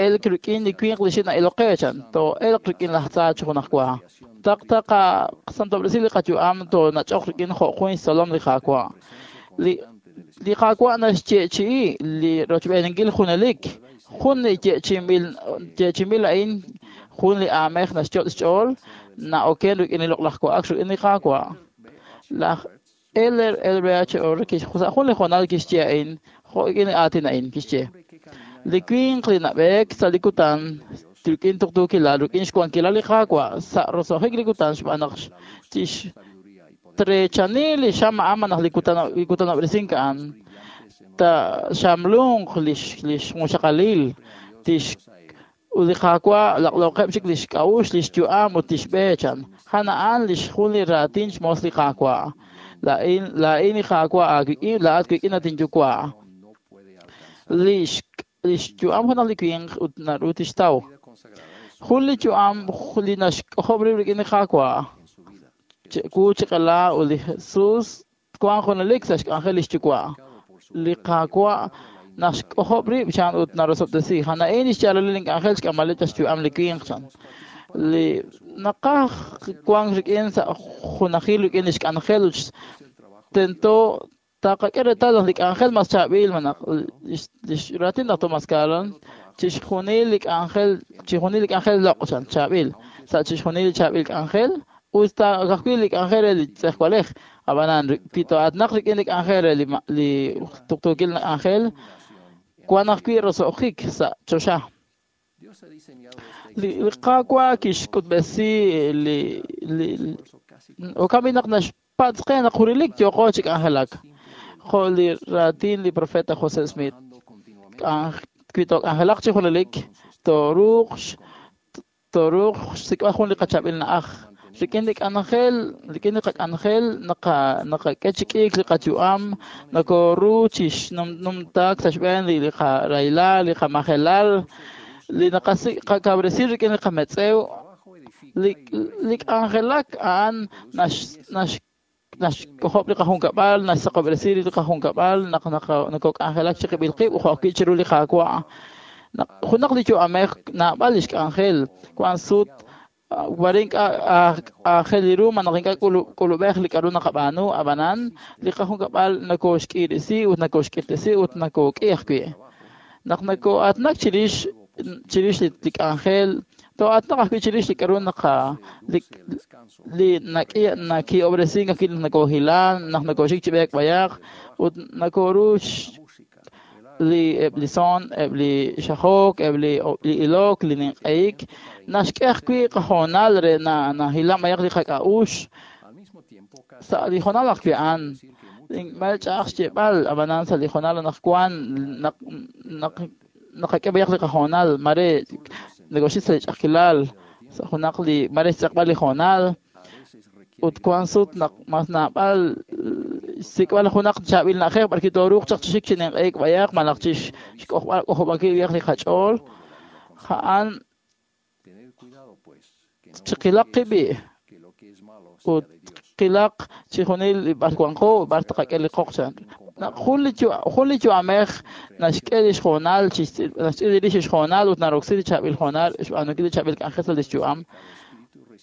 elk rik'in li winq li xina'ilok qe chan too'elq rik'in laj tza chi junaj wa. Taq taqasantob'resi li qayu'am toonach'oq rik'in jo' jun xtzolom li Qaawa'. Li li Qaawa' naxyeechi'i li rochb'eeninkil junelik jun li yeechi'inb'il yeechi'inb'il a'in jun li aamej naxyot' xch'ool na'oken rik'in li loq'laj wa'ak rik'in li Qaawa'. Laj Elder L B H Orr sa' jun li hoonal kixye a'in jo' rik'in li aatin a'in kixye li winq li nab'eek sa' li kutan rik'in tuqtuukilal rik'in xwankilal li Qaawa' sa' roso'jik li kutan xb'aan naq tixtreechani li xam a'an naq li kutan li kutanob'resink a'an ta xamlunq lix lix junxaqalil tix ut li Qaawa' laq'loqeb' chik lix k'a'uxl lix yu'am ut lix b'e chan. A'an a'an lix jun li raatin xmoos li Qaawa'. Laa'in laa'in li Qaawa' aawik'in laa'at wik'in at inyuwa'. Lix lix yu'am junaq li winq ut naru tixtaw. Jun li yu'am li naxk'ojob' rib' rik'in li Qaawa' Wu chi q'ela ut li Jesus twanq junelik sa' xk'anjel lix yuwa'. Li Qaawa' naxk'ojob' rib' chan ut narosob'tesi. A'in lix yaalalil ink'anjel xk'amb'aleb' chaq xyu'am li winq chan. Li naqaj wank rik'in sa' junajil rik'in lix k'anjel ut tento taqak'e reetal naq li k'anjel mas chaab'il malaj lix raatin laj Thomas Callan chixjunil li k'anjel chixjunil li k'anjel loq' chan chaab'il sa' chixjunil li chaab'il k'anjel us ta ka'ajwi' li k'anjel re li tz'ejwalej ab'anan wi to'aatnaq rik'in li k'anjel re li li tuqtuukil k'anjel wan ajwi' roso'jik sa' choxa. Li Qaawa' kixk'utb'esi li li jo'kan naq naxpatz' qe naq junelik yooqo chi k'anjelak. Jo' li raatin li profeta José Smith. Wi took'anjelaq chi junelik tooruuq tooruuq xsik'b'al jun li qachaab'il na'aj. Rik'in li k'anjel, rik'in li qak'anjel naqa naqak'e chi k'iik li qayu'am, nokoru chi xnumtaak sa' xb'een li li qarahilal, li qamajelal, li naqasik' qakawresi rik'in li qametz'ew, li li k'anjelak a'an nax nax naxk'ojob' li qajunkab'al, naxsaqob'resi li qajunkab'al, naq nokok'anjelak chi qib'il qib' jo' ajwi' chiru li Qaawa'. Junaq li yu'amej naab'al lix k'anjel, wan sut wari ink'a' aajel ru malaj ink'a' k'ulub'ej li k'a'ru naqab'aanu, ab'anan li qajunkab'al nokoxk'irisi ut nokoxk'irtesi ut nokok'i ajwi'. Naq noko'aatnak chirix chirix li k'anjel, to'aatnaq ajwi' chirix li k'a'ru naqa li li nak'i naki'ob'resink ajwi' naq nokohilan, naq nokoxik chi b'eek b'ayaq ut nokoru li eb' li son, eb' li xajok, eb' li ilok, li ninq'ehik, naxk'e ajwi' qahoonal re nahilan b'ayaq li qak'a'uxl sa' li hoonal ajwi' a'an. Mare ch'a'aj xyeeb'al, ab'anan sa' li hoonal anaqwan naq naq naqak'e b'ayaq li qahoonal, mare nokoxik sa' li ch'a'ajkilal, sa' junaq li mare xtz'eqb'al li hoonal ut wan sut naq mas naab'al xsik'b'al junaq chaab'il na'ajej b'arwi' tooruuq chaq chi xik chi ninq'ehik b'ayaq malaj chi xk'ojb'al k'ojob'ankil b'ayaq li qach'ool. A'an chiqilaq qib' ut qilaq chixjunil li b'ar wanqo b'ar taqak'e li qoq chan. Naq jun li jun li yu'amej naxk'e lix hoonal naxtz'il rix lix hoonal ut naroksi li chaab'il hoonal xb'aanunkil li chaab'il k'anjel sa' lix yu'am.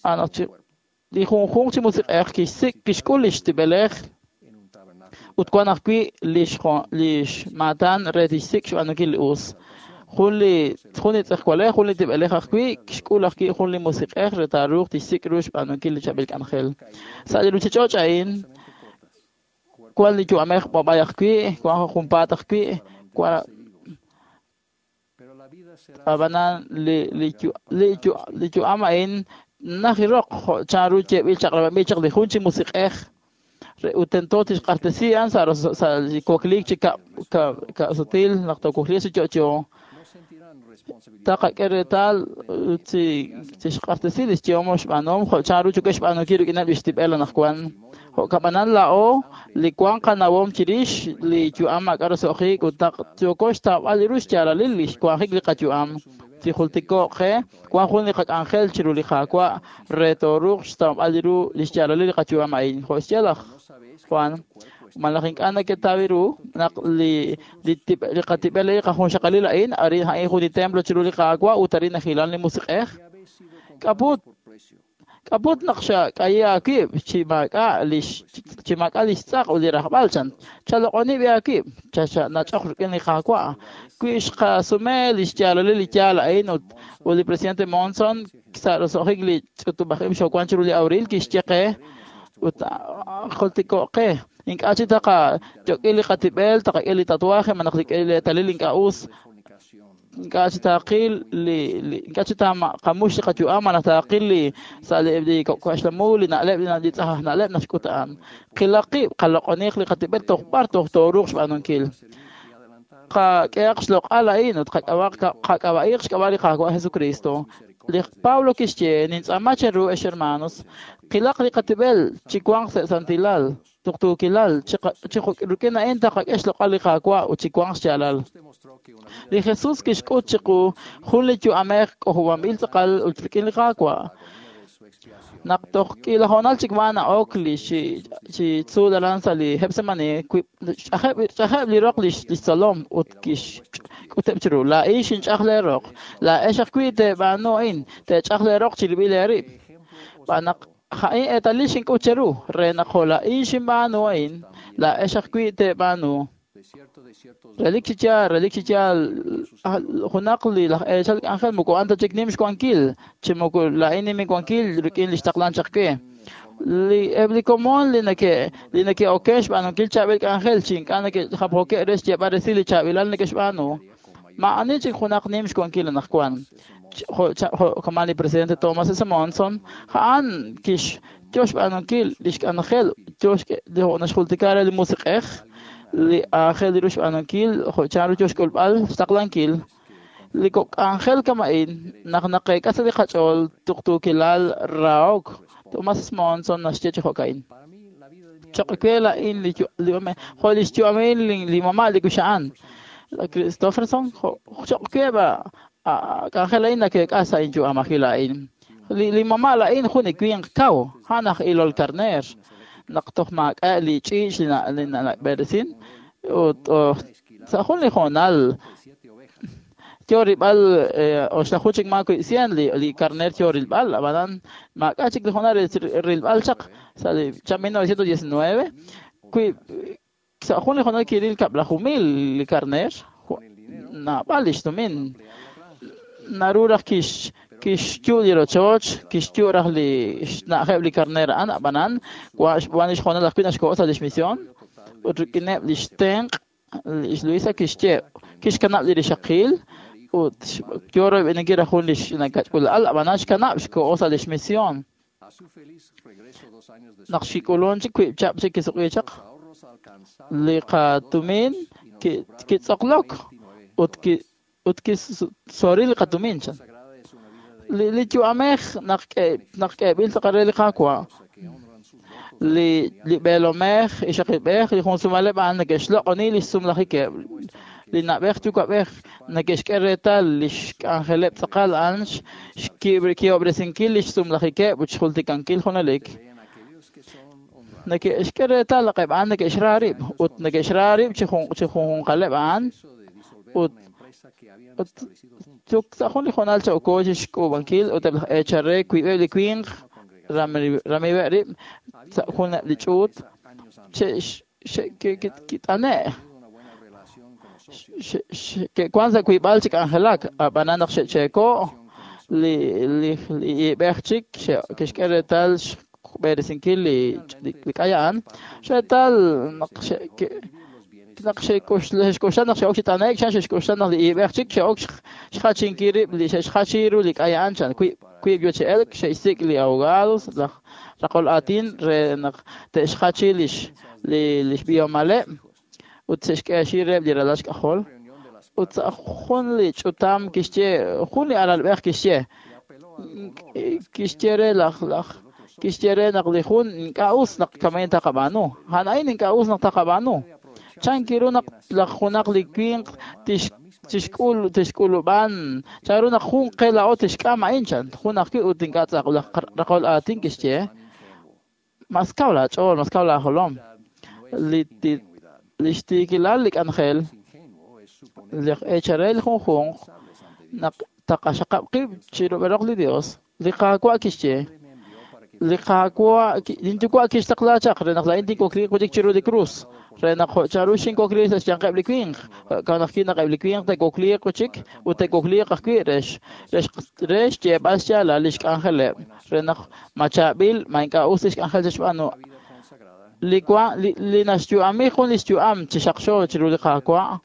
Anaq chi li junjunq chi musiq'ej kixsik' kixk'ul lix tib'elej ut wan ajwi' lix lix maatan re tixsik' xb'aanunkil li us. Jun li jun li tz'ejwalej, jun li tib'elej ajwi' kixk'ul ajwi' jun li musiq'ej re taaruuq tixsik' ru xb'aanunkil li chaab'il k'anjel. Sa' li ruchich'och' a'in wan li yu'amej b'ab'ay ajwi', wan junpaat ajwi', wan ab'anan li li li li yu'am a'in najiroq jo' chanru yeeb'il chaq'rab'anb'il chaq li jun chi musiq'ej ut tento tixq'axtesi a'an sa' sa' li wakliik chi kab' ka'sutil naq toowakliiq chi yo'yo. Taqak'e reetal chi tixq'axtesi lix yehom xb'aanuhom jo' chanru chuk'e xb'aanunkil rik'ineb' lix tib'el anaqwan. Jo'kab'anan laa'o li wan qanawom chirix li yu'am maak'a' roso'jik ut naq yooko xtawb'al ru xyaalalil li xwanjik li qayu'am. Chijultiko'q qe wan jun li qak'anjel chiru li Qaawa' re tooruuq xtawb'al ru li xyaalalil li qayu'am a'in. Jo' xye laj Juan, malaj ink'a' naketaw ru naq li li li qatib'el li qajunxaqalil a'in arin a'in jun li templo chiru li Qaawa' ut arin najilan li musiq'ej. K'aput k'aput naq xak'ayi aawib' chi maak'a' lix chi maak'a' lix tz'aq ut li rajb'al chan. Chaloq'oni b'i aawib' chanach'oq rik'in li Qaawa'. Wi xqasume li xyaalalil li yaal a'in ut ut li presidente Monson sa' roso'jik li ch'utub'aj ib' xowan chiru li abril kixye qe ut jultiko'q qe ink'a' chi taqayok'il li qatib'el taqak'e li tatuaje malaj li eetalil ink'a' us ink'a' chi taqil li ink'a' chi taqamux li qayu'am malaj taqil li sa' li k'oxlamu li na'leb' li tz'aj na'leb' naxk'ut a'an. Qilaq qib' qaloq'oniq li qatib'el toj b'ar toj tooruuq xb'aanunkil. Qak'ehaq xloq'al a'in ut qak'ab'aq qak'ab'a'iq xk'ab'a' li Qaawa' Jesucristo. Li Pablo kixye nintz'aama cheru ex hermanos qilaq li qatib'el chi wanq sa' santilal tuqtuukilal chi rik'in a'in taqak'e xloq'al li Qaawa' ut chi wanq xyaalal. Li Jesus kixk'ut chiqu jun li yu'amej k'ojob'anb'il tz'aqal ut rik'in li Qaawa'. Naq toj k'iila hoonal chik ma na'ok li chi chi tzuul aran sa' li Getsemani, ch'ajeb' ch'ajeb' li roq lix lix tzolom ut kixk'uteb' chiru. Laa'in xinch'aj lee roq. Laa'ex ajwi' teeb'aanu a'in, teech'aj lee roq chirib'il eerib'. Xb'aan naq ja'in eetalil xink'ut cheru, re naq jo' laa'in xinb'aanu a'in, laa'ex ajwi' teeb'aanu. Relik chi yaal, relik chi yaal, junaq li laj eechal k'anjel moko a'an ta chik nim xwankil, chi moko laa'in nim inwankil rik'in li xtaqlan chaq we. Li eb' li komon li neke' li neke'oken xb'aanunkil chaab'il k'anjel chi ink'a' neke'japjoke' re xyeeb'al resil li chaab'ilal neke'xb'aanu. Maa'ani chik junaq nim xwankil anaqwan. Jo' jo' kama li presidente Thomas S. Monson, a'an kix yo xb'aanunkil li xk'anjel, yo jo' naxjultika re li musiq'ej, li aajel ru xb'aanunkil jo' chanru yo xk'ulb'al xtaqlankil. Li kok' k'anjel kama'in naq naqeek'a sa' li qach'ool tuqtuukilal rahok. Thomas Monson naxye chi jo'ka'in. Choq' we laa'in li jo' li xyu'amil li mama' li kuxa'an. Christofferson choq' we b'a k'anjel a'in nakeek'a sa' inyu'am ajwi' laa'in. Li li mama' laa'in jun li winq kaw, a'an aj ilol karneer. Naq toj maak'a' li ch'iich' li nab'eresin ut sa' jun li hoonal yo rilb'al oxlaju chik maa wi' cien li li karneer yo rilb'al, ab'anan maak'a' chik li hoonal rilb'al chaq sa' li mil novecientos diecinueve wi' sa' jun li hoonal kiril kab'laju mil li karneer, naab'al li xtumin. Naru raj kix kixyu' li rochoch, kixyu' raj li xna'ajeb' li karneer a'an, ab'anan wan li xhoonal ajwi' naxko'o sa' lix misión ut rik'ineb' li xtenq' lix Luisa kixye kixkanab' li rixaqil ut yo royb'eninkil raj jun li xkach'ula'al, ab'anan xkanab' xko'o sa' lix misión. Naq xik'ulun chik wiib' chab' chik kisuq'i chaq li qatumin kitz'oqlok ut ki ut kisoril li qatumin chan. Li li yu'amej naq naq k'eeb'il tz'aqal re li Qaawa', li li b'eelomej, ixaqilb'ej, li junsumaleb' a'an neke'xloq'oni li xsumlajikeb'. Li na'b'ej yuwa'b'ej neke'xk'e reetal li xk'anjeleb' tz'aqal a'an xki'ob'resinkil li xsumlajikeb' ut xjultikankil junelik. Neke'xk'e reetal naq eb' a'an neke'xra rib' ut neke'xra rib' chi junjunqaleb' a'an ut ut sa' jun li hoonal cha'oko chi xk'uub'ankil ut eb' laj eechal re wiib'eb' li winq ramib'eb' rib' sa' jun li ch'uut xe'kit'ane' ke'wan sa' wiib'al chi k'anjelak, ab'anan naq xe'cheeko' li li li iib'ej chik kixk'e reetal xb'eresinkil li li k'ay a'an, reetal naq naq xe'k'oxla naq xe'ok chi t'ane'k chan xe'xk'oxla naq li iib'ej chik xe'ok xjachinkil rib' li xe'xjachi ru li k'ay a'an chan wiib' yo chi elk xe'xsik' li abogados laj raqol aatin re naq te'xjachi lix li lix b'ihomaleb' ut xe'xk'eexi reheb' li ralal xk'ajol. Ut sa' jun li ch'utam kixye jun li alalb'ej kixye kixye re laj laj kixye re naq li jun ink'a' us naq kama'in taqab'aanu, a'an a'in ink'a' us naq taqab'aanu. Chan kiru naq laj junaq li winq tix tixk'ul tixk'ulub'an chanru naq jun qe laa'o tixk'am a'in chan jun ajwi' ut ink'a' tz'aq laj raqol aatin kixye mas kaw laach'ool, mas kaw laajolom. Li li xtiikilal li k'anjel li eechal re li junjunq naq taqaxaqab' qib' chirub'eloq li Dios. Li Qaawa' kixye li Qaawa' linyuwa' kixtaqla chaq re naq laa'in tinkokliiq wi' chik chiru li krus re naq jo' chanru xinkokliiq sa' xyanqeb' li winq, jo'kan ajwi' naq eb' li winq te'kokliiq wi' chik ut te'kokliiq ajwi' re re xyeeb'al xyaalal li xk'anjeleb' re naq ma chaab'il ma ink'a' us li xk'anjel xe'xb'aanu. Li wa li li naxyu'ami jun li xyu'am chi xaqxo chiru li Qaawa'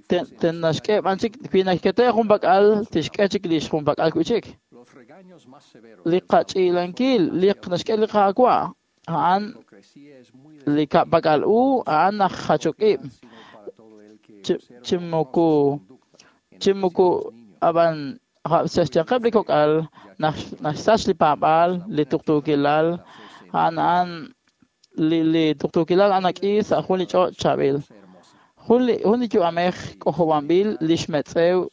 ten naxk'e b'an chik wi naxkete jun pak'al tixk'e chik li xjunpak'al wi' chik. Li qach'ilankil li naxk'e li Qaawa' a'an li ka'pak'al u a'an aj jachok ib' chi moko chi moko ab'an sa' xyanqeb' li kok'al naxsach li paab'aal li tuqtuukilal a'an a'an li li tuqtuukilal a'an nak'i sa' jun li ch'och' chaab'il. Jun li jun li yu'amej k'ojob'anb'il li xmetz'ew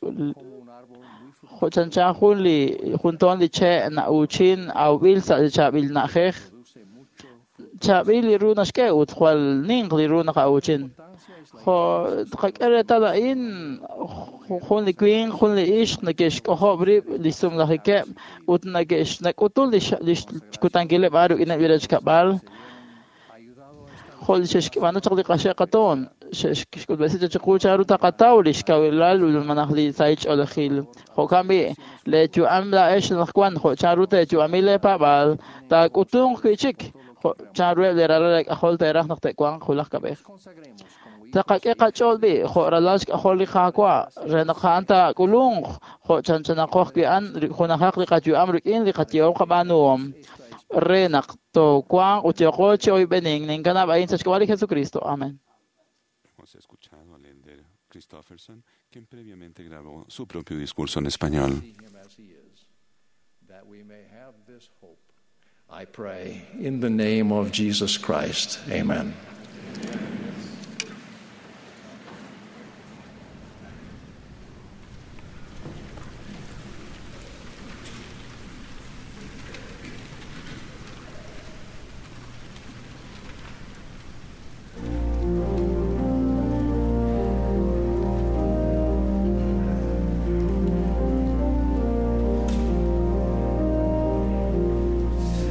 Jo' chanchan jun li jun toon li che' na'uuchin awb'il sa' li chaab'il na'ajej. Chaab'il li ru naxk'e ut jwal ninq li ru naqa'uuchin. Jo' tqak'e reetal a'in jun li winq, jun li ixq neke'xk'ojob' rib' li sumlajikeb' ut neke'xnak'utul li xkutankileb' a'an rik'ineb' li rechkab'al. Jo' li xe'xb'aanu chaq li qaxe' qatoon, xe'xk'utb'esi chiqu chanru taqataw li xkawilal malaj li sahil ch'oolejil. Jo'kan b'i' leeyu'am laa'ex anaqwan jo' chanru teeyu'ami leepaab'aal taak'utunq wi'chik jo' chanruheb' li ralal leek'ajol teeraj naq te'wanq wulaj kab'ej. Taqak'e qach'ool b'i' jo' ralal xk'ajol li Qaawa' re naq a'an taak'ulunq jo' chanchanaqo ajwi' a'an junajaq li qayu'am rik'in li qayehom qab'aanuhom re naq toowanq ut yooqo chi oyb'enin ninkanab' a'in sa' xk'ab'a' li Jesucristo. Amén. Hemos escuchado al elder Christofferson, quien previamente grabó su propio discurso en español. That we may have this hope, I pray in the name of Jesus Christ. Amen.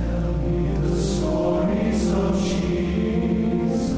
Tell me the stories of Jesus.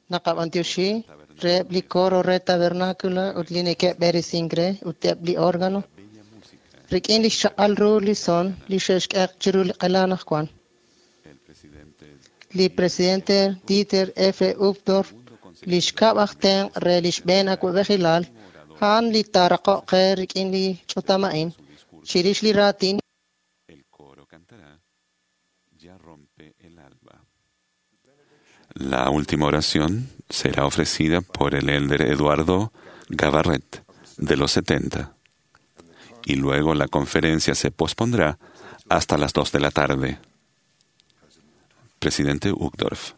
Naqab'antioxi reheb' li coro re tabernáculo ut li neke'b'eresink re ut eb' li órgano rik'in li xchaq'al ru li son li xe'xk'e chiru li q'ela anaqwan. Li presidente Dieter F. Uchtdorf, li xkab' aj tenq' re li xb'een awa'b'ejilal, a'an li taaraqoq qe rik'in li ch'utam a'in chirix li raatin. El coro cantará Ya rompe el alba. La última oración será ofrecida por el elder Eduardo Gavarret, de los setenta. Y luego la conferencia se pospondrá hasta las dos de la tarde. Presidente Uchtdorf.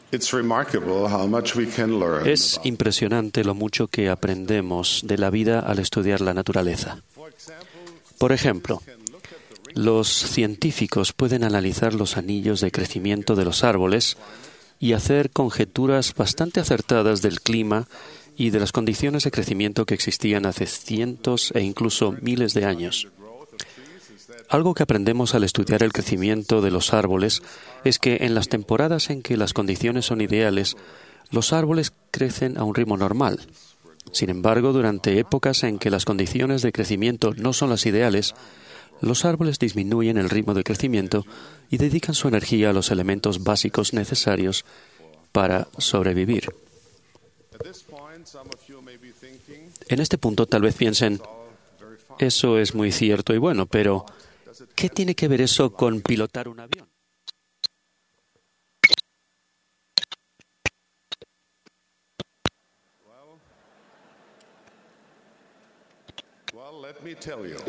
It's remarkable how much we can learn. Es impresionante lo mucho que aprendemos de la vida al estudiar la naturaleza. Por ejemplo, los científicos pueden analizar los anillos de crecimiento de los árboles y hacer conjeturas bastante acertadas del clima y de las condiciones de crecimiento que existían hace cientos e incluso miles de años. Algo que aprendemos al estudiar el crecimiento de los árboles es que en las temporadas en que las condiciones son ideales, los árboles crecen a un ritmo normal. Sin embargo, durante épocas en que las condiciones de crecimiento no son las ideales, los árboles disminuyen el ritmo de crecimiento y dedican su energía a los elementos básicos necesarios para sobrevivir. En este punto tal vez piensen, eso es muy cierto y bueno, pero ¿qué tiene que ver eso con pilotar un avión?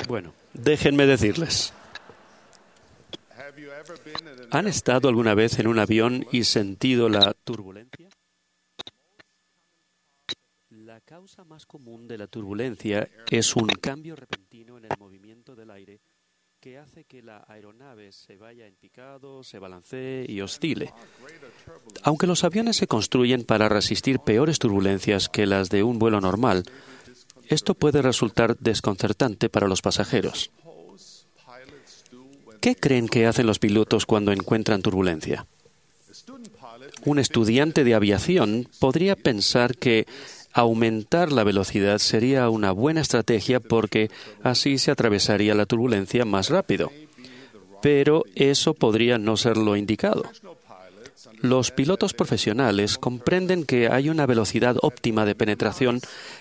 Bueno, déjenme decirles. ¿Han estado alguna vez en un avión y sentido la turbulencia? La causa más común de la turbulencia es un cambio repentino en el movimiento del aire que hace que la aeronave se vaya en picado, se balancee y oscile. Aunque los aviones se construyen para resistir peores turbulencias que las de un vuelo normal, esto puede resultar desconcertante para los pasajeros. ¿Qué creen que hacen los pilotos cuando encuentran turbulencia? Un estudiante de aviación podría pensar que aumentar la velocidad sería una buena estrategia porque así se atravesaría la turbulencia más rápido. Pero eso podría no ser lo indicado. Los pilotos profesionales comprenden que hay una velocidad óptima de penetración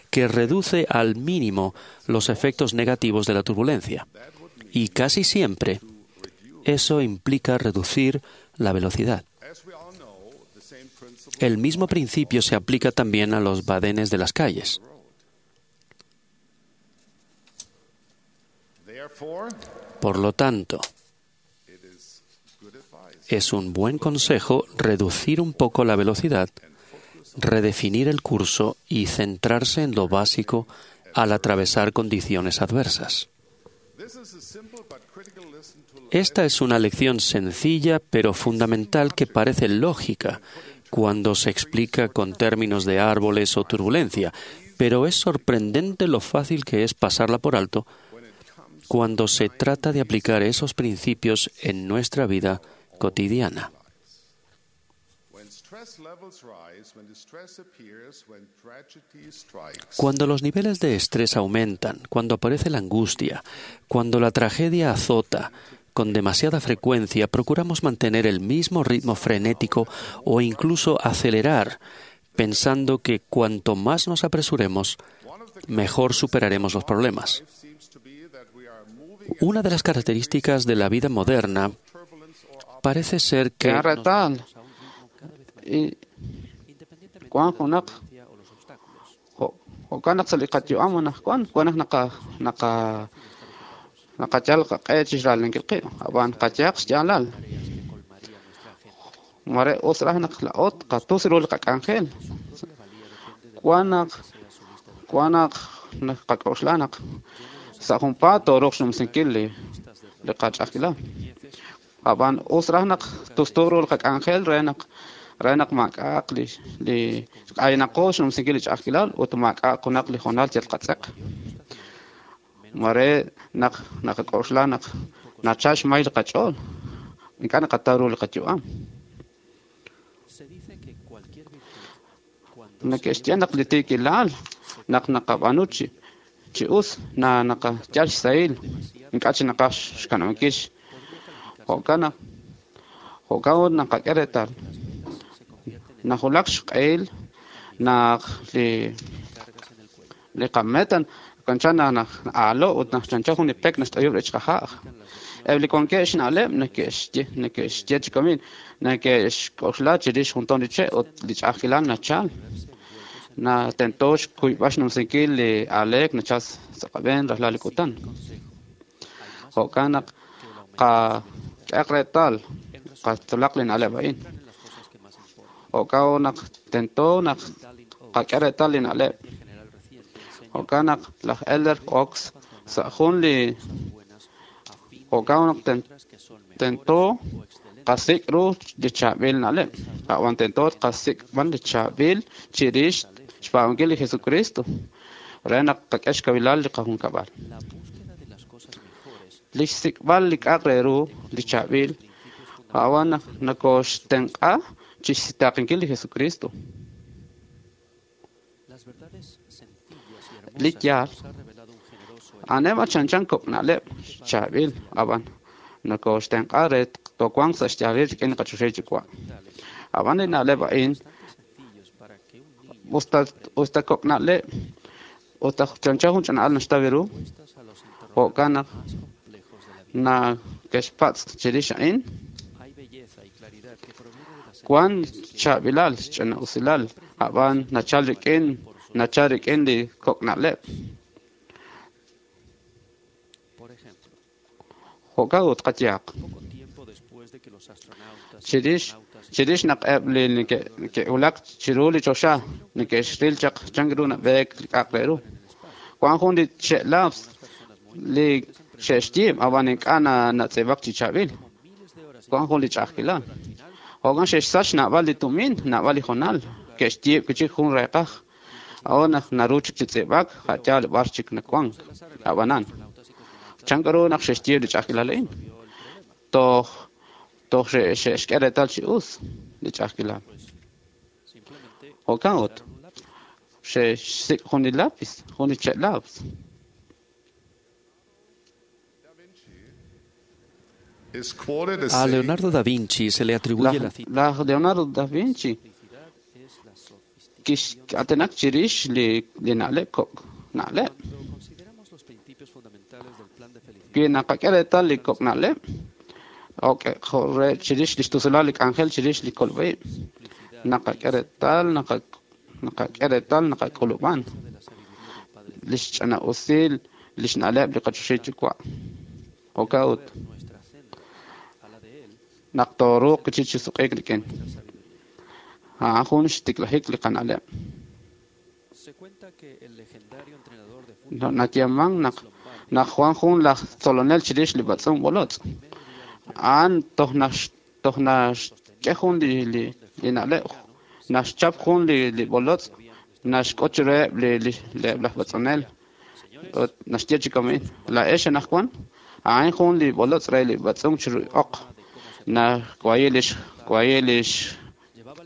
que reduce al mínimo los efectos negativos de la turbulencia. Y casi siempre eso implica reducir la velocidad. El mismo principio se aplica también a los badenes de las calles. Por lo tanto, es un buen consejo reducir un poco la velocidad, redefinir el curso y centrarse en lo básico al atravesar condiciones adversas. Esta es una lección sencilla pero fundamental que parece lógica cuando se explica con términos de árboles o turbulencia, pero es sorprendente lo fácil que es pasarla por alto cuando se trata de aplicar esos principios en nuestra vida cotidiana. Cuando los niveles de estrés aumentan, cuando aparece la angustia, cuando la tragedia azota, con demasiada frecuencia procuramos mantener el mismo ritmo frenético o incluso acelerar, pensando que cuanto más nos apresuremos, mejor superaremos los problemas. Una de las características de la vida moderna parece ser que naqachal qaq'e chixralinkil qib' ab'an qachaq xyaalal mare us raj naq la'ot qatus ru li qak'anjel wan naq wan naq qak'oxla naq sa' junpaat tooruuq xnumsinkil li li qach'ajkilal ab'an us raj naq tustu ru li qak'anjel re naq re naq maak'a'aq li li k'aynaqo xnumsinkil li ch'ajkilal ut maak'a'aq junaq li hoonal yal qatz'eq. Mare naq naqak'oxla naq nachal xmay li qach'ool. Ink'a' naqataw ru li qayu'am. Neke'xye naq li tiikilal naq naqab'aanu chi chi us na naqayal xsahil ink'a' chi naqaj xkanab'ankil jo'kan naq jo'kan ut naqak'e reetal najulak xq'ehil naq li li qametan chanchan naq aalo ut naq chanchan jun li pek naxt'ayub' rech qaja'aj. Eb' li wankeb' xna'leb' neke'xye neke'xye chi kamin neke'xk'oxla chirix jun ton li che' ut li ch'a'ajkilal nachal. Na tento xkuyb'al xnumsinkil li aaleek nachal sa' qab'een rajlal li kutan. Jo'kan naq qak'ehaq reetal qatzolaq li na'leb' a'in. Jo'kan naq tento naq qak'e reetal li na'leb'. Jo'kan naq laj Elder Ox sa' jun li jo'kan naq tento qasik' ru li chaab'il na'leb'. A'wan tento qasik' b'an li chaab'il chirix xpaab'ankil li Jesucristo re naq qak'e xkawilal li qajunkab'al. Li xsik'b'al li k'a'aq re ru li chaab'il a'wan nakoxtenq'a chixsitaaqinkil li Jesucristo. Li yaal a'aneb' chanchan kok' na'leb' chaab'il ab'an nakoxtenq'a re towanq sa' xyaalil rik'in li qachoxahil Yuwa'. Ab'an li na'leb' a'in usta usta kok' na'leb' usta chanchan jun ch'ina'al naxtaw ru jo'kan naq nake'xpatz' chirix a'in wan chaab'ilal ch'ina'usilal ab'an nachal rik'in nachal rik'in li kok' na'leb'. Jo'kan ut qayehaq. Chirix chirix naq eb' li neke'wulak chiru li choxa neke'xril chaq chan ru nab'eek li k'a'aq re ru. Wan jun li che'laps li xe'xyiib' ab'an ink'a' natz'iib'ak chi chaab'il. Wan jun li ch'a'ajkilal. Jo'kan xe'xsach naab'al li tumin, naab'al li hoonal, ke'xyiib' kichik jun reeqaj. A'an naq naru chik chi tz'iib'ak, ja'yaal b'ar chik nawank. Ab'anan chan ru naq xe'xyiib' li ch'a'ajkilal a'in. Toj toj xe'xk'e reetal chi us li ch'a'ajkilal. Jo'kan ut xe'xsik' jun li lapis, jun li che'laps. A Leonardo da Vinci se le atribuye la cita. Laj Leonardo da Vinci kix'atenak chirix li li na'leb' kok' na'leb'. Wi naqak'e reetal li kok' na'leb' jo' re chirix li xtusulal li k'anjel chirix li kolb'aib'. Naqak'e reetal naqak'e reetal naqak'ulub'an li xch'ina'usil li xna'leb' li qachoxahil Yuwa'. Jo'kan ut naq tooruuq chi suq'iik rik'in. A'an jun xtiklajik li qana'leb'. Nayeeman naq naq wan jun laj tzolonel chirix li b'atz'unk b'olotz'. A'an toj toj naxk'e jun li li li na'leb' naxchap jun li li b'olotz' naxk'ot chiruheb' li li laj b'atz'unel ut naxye chi kamin laa'ex anaqwan a'an jun li b'olotz' re li b'atz'unk chiru oq naxwayi lix wayi lix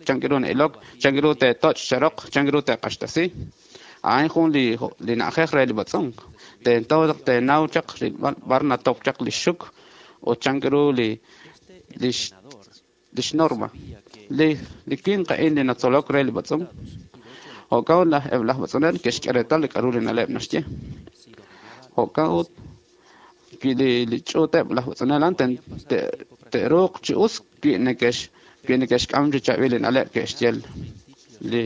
chan ru na'ilok chan ru te'toch' cheroq chan ru te'q'axtasi a'an jun li li na'ajej re li b'atz'unk tento teenaw chaq b'ar natop chaq li xuk ut chan ru li lix lix norma li li winq a'in li natzolok re li b'atz'unk jo'kan laj eb' laj b'atz'unel ke'xk'e reetal li k'a'ru li na'leb' naxye jo'kan ut wi li li ch'uuteb' laj b'atz'unel a'an te'ruuq chi us wi neke'x wi neke'xk'am chi chaab'il li na'leb' ke'xye li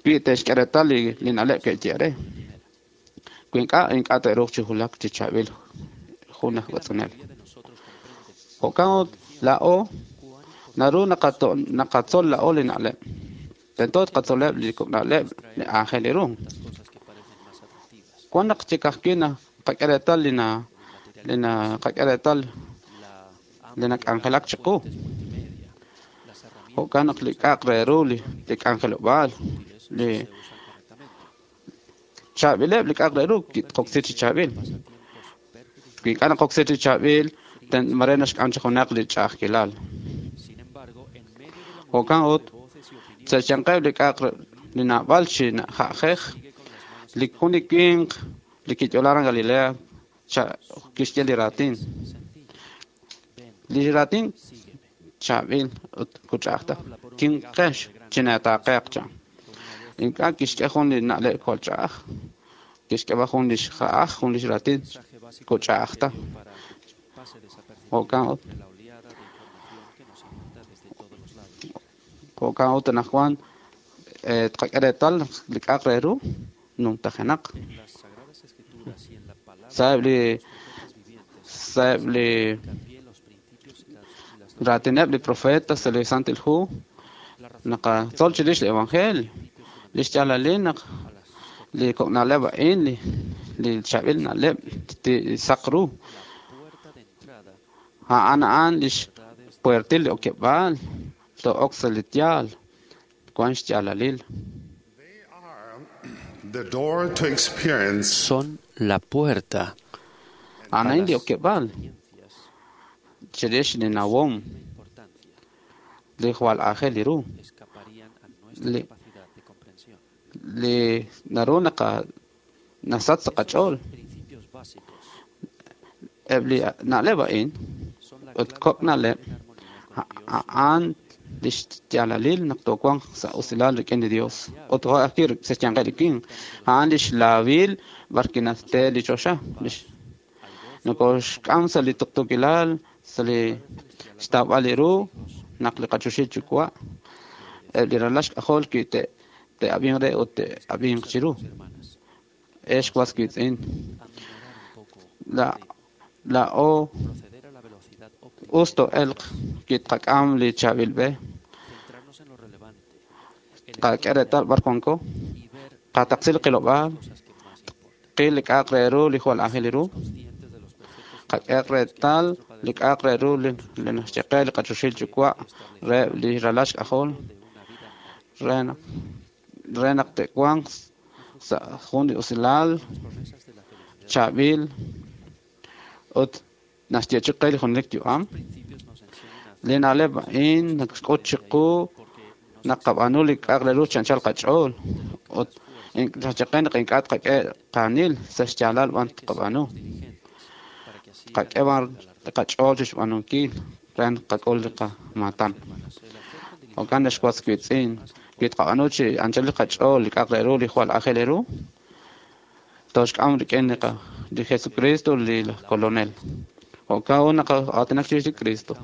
wi te'xk'e reetal li li na'leb' ke'xye re wi ink'a' ink'a' te'ruuq chi wulak chi chaab'il jun aj b'atz'unel. Jo'kan ut laa'o naru naqatzol laa'o li na'leb'. Tento tqatzoleb' li kok' na'leb' li aajel ru. Wan naq chik ajwi' naqak'e reetal li na li naqak'e reetal li nak'anjelak chiqu. Jo'kan naq li k'a'aq re ru li li k'anjelob'aal li Chaab'ileb' li k'a'aq re ru tqoksi chi chaab'il. Wi ink'a' naqoksi chi chaab'il, mare naxk'am chi junaq li ch'a'ajkilal. Jo'kan ut, sa' xyanqeb' li k'a'aq li naab'al chi ja'jej, li jun li winq li kiyo'la aran Galilea kixye li raatin. Li raatin chaab'il ut kuch'a'aj ta. Kinqex chineetaaqeq chan. Ink'a' kixk'e jun li na'leb' jwal ch'a'aj. Kixk'e b'an jun li xja'aj, jun li xraatin kuch'a'aj ta. Jo'kan ut. Jo'kan ut anaqwan tqak'e reetal li k'a'aq re ru numtajenaq. Sa'eb' li sa'eb' li raatineb' li profeta sa' li Santil Hu naqatzol chirix li Evangelio. Li xyaalalil naq li kok' na'leb' a'in li li chaab'il na'leb' saq ru. A'an a'an li xpuertil li okeb'aal to'ok sa' li yaal wan xyaalalil. The door to experience Son la puerta A'an a'in li okeb'aal chirix li nawom li jwal aajel li ru li li naru naqa nasach sa' qach'ool. Eb' li na'leb' a'in ut kok' na'leb' a'an li xyaalalil naq toowanq sa' usilal rik'in li Dios. Ut jo' ajwi' sa' xyanqeb' li winq. A'an li xlaawil b'ar kinate li choxa. Nokoxk'am sa' li tuqtuukilal, sa' li xtawb'al li ru naq li qachoxil yuwa' eb' li ralal xk'ajol wi te te'ab'inq re ut te'ab'inq chiru. Ex was wiitz'in. La laa'o us to'elq wi tqak'am li chaab'il b'e. Qak'e reetal b'ar wanko. Qataqsi li qilob'aal. Qil li k'a'aq re ru li jwal aajel li ru. Qak'e reetal li k'a'aq re ru li naxye qe li qachoxil yuwa' re li ralal xk'ajol re naq re naq te'wanq sa' jun li usilal chaab'il ut naxyeechi qe li junelik yu'am. Li na'leb' a'in naxk'ut chiqu naq qab'aanu li k'a'aq re ru chi anchal qach'ool ut naxye qe naq ink'a' tqak'e qaanil sa' xyaalal b'an tqab'aanu. Qak'e b'an qach'ool chi xb'aanunkil re naq qak'ul li qamaatan. Jo'kan naxwatz wiitz'in wi tqab'aanu chi anchal li qach'ool li k'a'aq re ru li jwal aajel ru toxk'am rik'in li li Jesucristo li Kolonel. Jo'kan ut naqaatinak chirix li Cristo.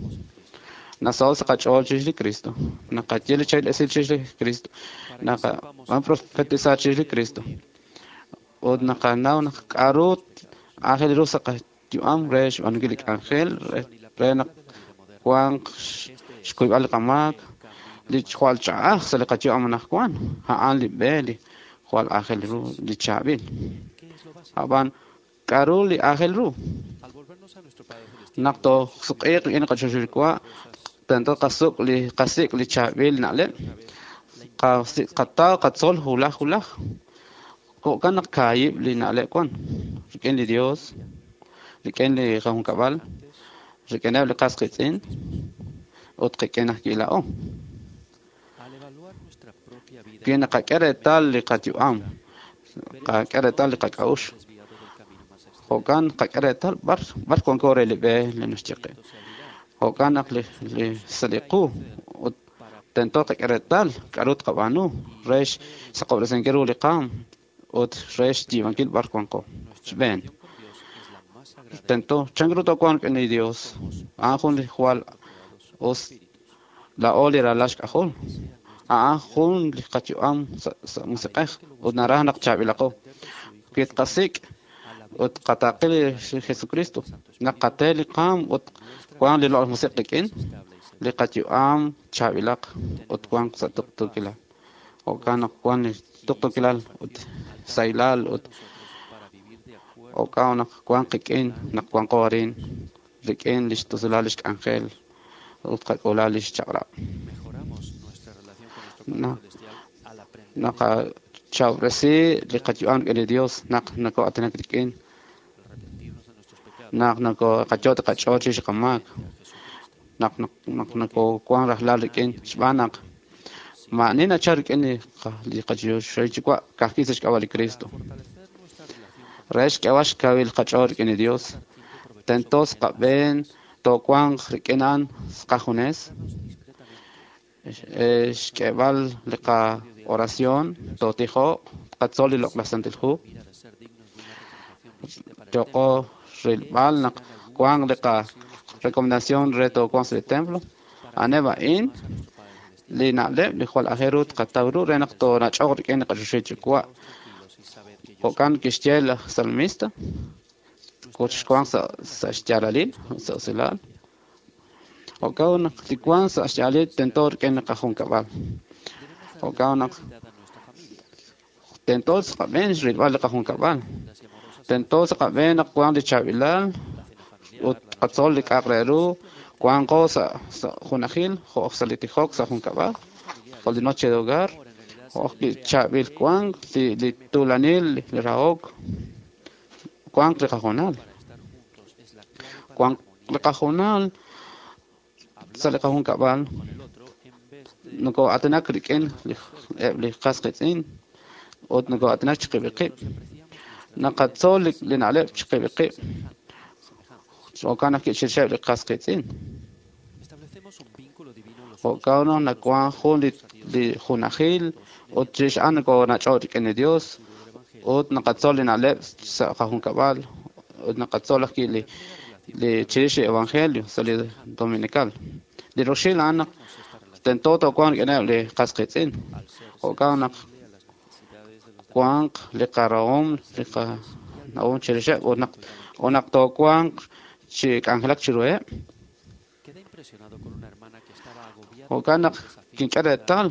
Nasaho sa' qach'ool chirix li Cristo. Naqaye li chaab'il esil chirix li Cristo. Naqab'an profetizar chirix li Cristo. Ut naqanaw naq k'a'ru aajel ru sa' qayu'am re xb'aanunkil li k'anjel re naq wanq xkuyb'al li qamaak li jwal ch'a'aj sa' li qayu'am anaqwan. A'an li b'e li jwal aajel ru li chaab'il. Ab'an k'a'ru li aajel ru? Naq toosuq'iiq rik'in li qachoxil yuwa' tento qasuk' li qasik' li chaab'il na'leb' qataw qatzol wulaj wulaj. Jo'kan naq kaahib' li na'leb' wan rik'in li Dios, rik'in li qajunkab'al, rik'ineb' li qas qiitz'in ut qik'in ajwi' laa'o. Wi naqak'e reetal li qayu'am, qak'e reetal li qak'a'uxl, jo'kan qak'e reetal b'ar b'ar wanko re li b'e li naxye qe. Jo'kan naq li li sa' li qu ut tento qak'e reetal k'a'ru tqab'aanu re xsaqob'resinkil ru li qaam ut re xyiib'ankil b'ar wanko. Xb'een, tento chan ru toowanq rik'in li Dios. A'an jun li jwal us laa'o li ralal xk'ajol. A'an jun li qayu'am sa' musiq'ej ut naraj naq chaab'ilaqo. Wi tqasik' ut qataaqi li Jesucristo, naq qate li qaam ut wanq li loq'laj musiq' qik'in, li qayu'am chaab'ilaq ut wanq sa' tuqtuukilal. Jo'kan naq wan li tuqtuukilal ut sahilal ut jo'kan naq wanq qik'in naq wanqo arin rik'in li xtusulal li xk'anjel ut qak'ula li xchaq'rab'. Tqachawresi li qayu'am rik'in li Dios naq nokoo'aatinak rik'in, naq nokooqayo' qach'ool chirix qamaak, naq naq nokoowank rajlal rik'in xb'aan naq maa'ani nachal rik'in li qaChoxahil Yuwa' ka'ajwi' sa' xk'ab'a' li Cristo. Re xk'eeb'al xkawil qach'ool rik'in li Dios, tento qab'een toowanq rik'in a'an qajunes, xk'eeb'al li qa-oración, tootijoq, tqatzol li Loq'laj Santil Hu, yooqo rilb'al naq wanq li qa-recomendación re toowanq sa' li templo. A'aneb' a'in li na'leb' li jwal aajel ru tqataw ru re naq toonach'oq rik'in li qaChoxahil Yuwa'. Jo'kan kixye laj salmista, xwank sa' xyaalalil, sa' usilal. Jo'kan naq li wank sa' xyaalalil tento rik'in li qajunkab'al. Jo'kan naq tento sa' qab'een rilb'al li qajunkab'al. Tento sa' qab'een naq wank li chaab'ilal ut tqatzol li k'a'aq re ru, wanqo sa' junajil, jo' sa' li tijok sa' junkab'al, jo' li noche de hogar, jo' li chaab'il wank, li tuulanil, li rahok, wank li qajunal. Wank li qajunal sa' li qajunkab'al nokoo'aatinak rik'in eb' li qas qiitz'in ut nokoo'aatinak chiqib'il qib'. Naqatzol li na'leb' chiqib'il qib'. Jo'kan naq chirixeb' li qas qiitz'in. Jo'kan naq nawank jun li junajil ut chirix a'an nokoonach'oq rik'in li Dios ut naqatzol li na'leb' sa' qajunkab'al ut naqatzol ajwi' li li chirix li evangelio sa' li dominical. Li roxil a'an naq tento toowanq rik'ineb' li qas qiitz'in. Jo'kan naq wanq li qarahom, li qanawom chirixeb' ut naq ut naq toowanq chi k'anjelak chiruheb'. Jo'kan naq kink'e reetal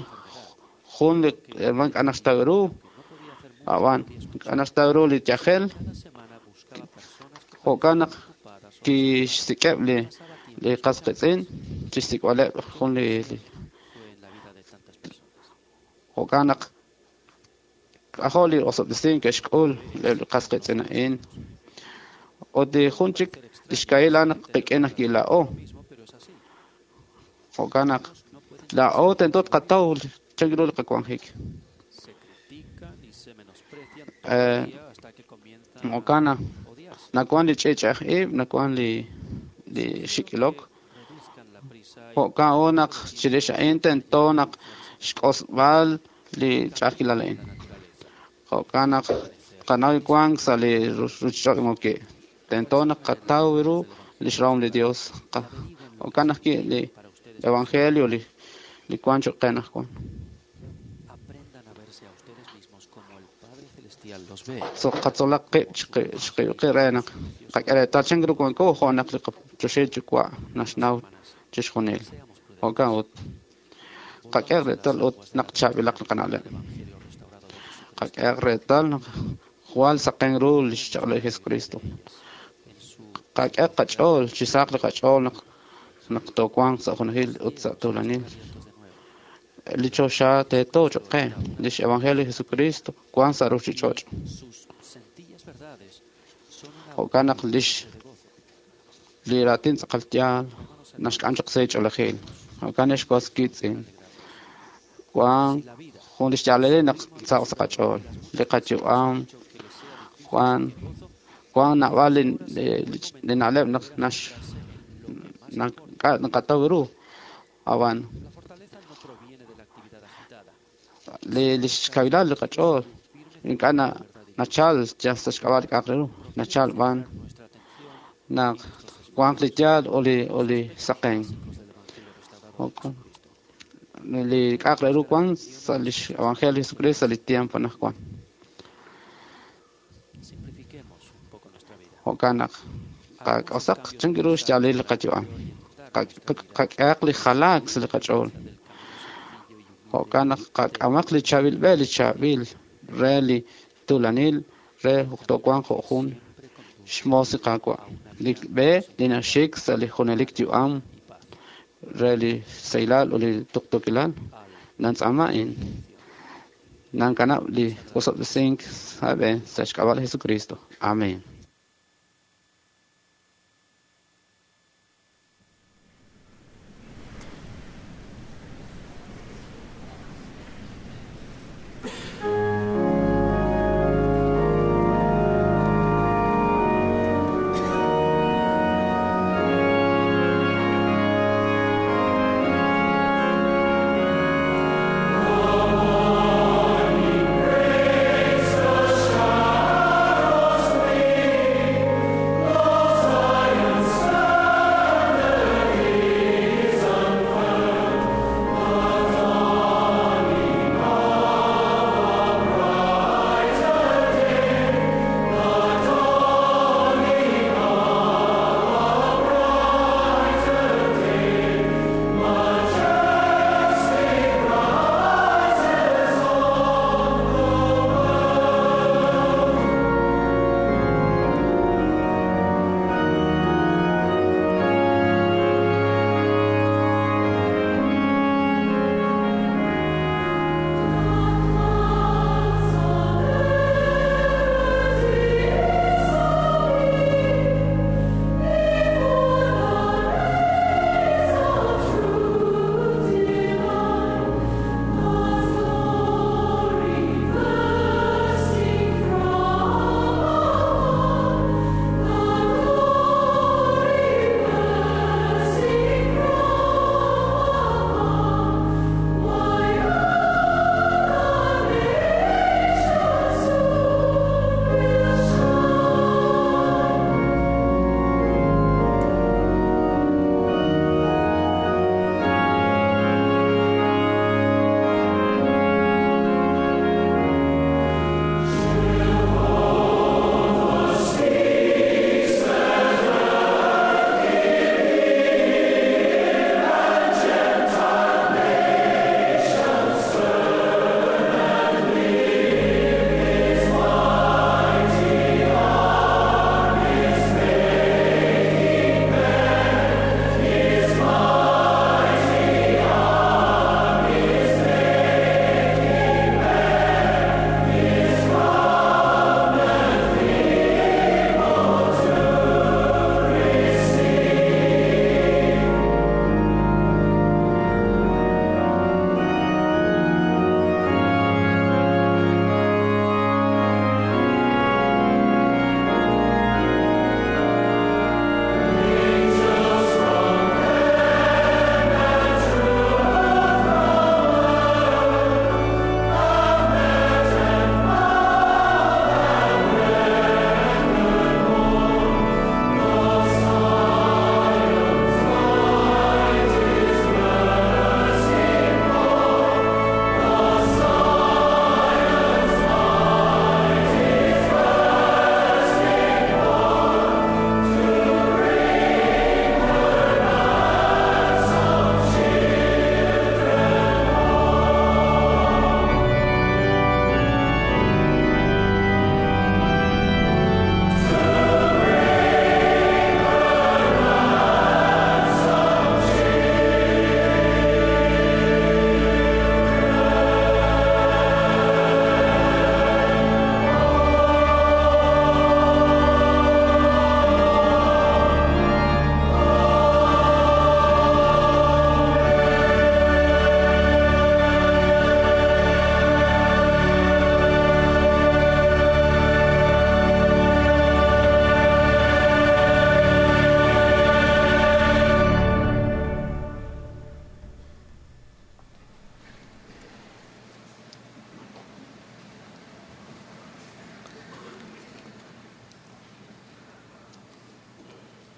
jun li herman k'a naxtaw ru, ab'an k'a naxtaw ru li yajel. Jo'kan naq kixsik'eb' li li qas qiitz'in chixsik'b'aleb' jun li jo'kan naq k'ajo' li osob'tesink ke'xk'ul li qas qiitz'in a'in. Ut li jun chik li xkahil a'an naq qik'in ajwi' laa'o. Jo'kan naq laa'o tento tqataw chan ru li qawanjik. Jo'kan naq nawank li ch'i'ch'ej ib', nawank li li xik'ilok. Jo'kan ut naq chirix a'in tento naq xk'osb'al li ch'a'ajkilal a'in. Jo'kan naq qanaw wank sa' li ruuchich'och' moki'. Tento naq qataw ru li xrahom li Dios. Jo'kan ajwi' li evangelio li li wank cho'q qe anaqwan. Qatzolaq qib' chiqib'il qib' re naq qak'e reetal chan ru wanko jo' naq li qaChoxahil Yuwa' naxnaw chixjunil. Jo'kan ut qak'e reetal ut naq chaab'ilaq li qana'leb'. Qak'e reetal naq jwal saqen ru li xchaq'leb' li Jesucristo. Qak'e qach'ool chi saq li qach'ool naq naq toowanq sa' junajil ut sa' tuulanil. Li choxa teeto cho'q qe, lix evangelio li Jesucristo wank sa' ruuchich'och'. Jo'kan naq lix li raatin tz'aqal yaal naxk'am chaq sa' ch'oolejil. Jo'kan ex was qiitz'in, wank jun li xyaalalil naq saq sa' qach'ool, li qayu'am wank wank naab'al li li na'leb' naq nax naqataw ru ab'an li li xkawilal li qach'ool ink'a' nachal yal sa' xk'ab'a' li k'a'aq re ru, nachal b'an naq wanq li yaal o li o li saqen. Li k'a'aq re ru wank sa' lix evangelio Jesucristo sa' li tiempo anaqwan. Jo'kan naq qak'osaq chan ru xyaalil li qayu'am. Qak'ehaq li jalaak sa' li qach'ool. Jo'kan naq qak'amaq li chaab'il b'e, li chaab'il re li tuulanil re toowanq jo' jun xmoos li Qaawa'. Li b'e li naxik sa' li junelik yu'am re li sahilal ut li tuqtuukilal nantz'aama a'in. Nankanab' li osob'tesink sa' b'een sa' xk'ab'a' li Jesucristo. Amén.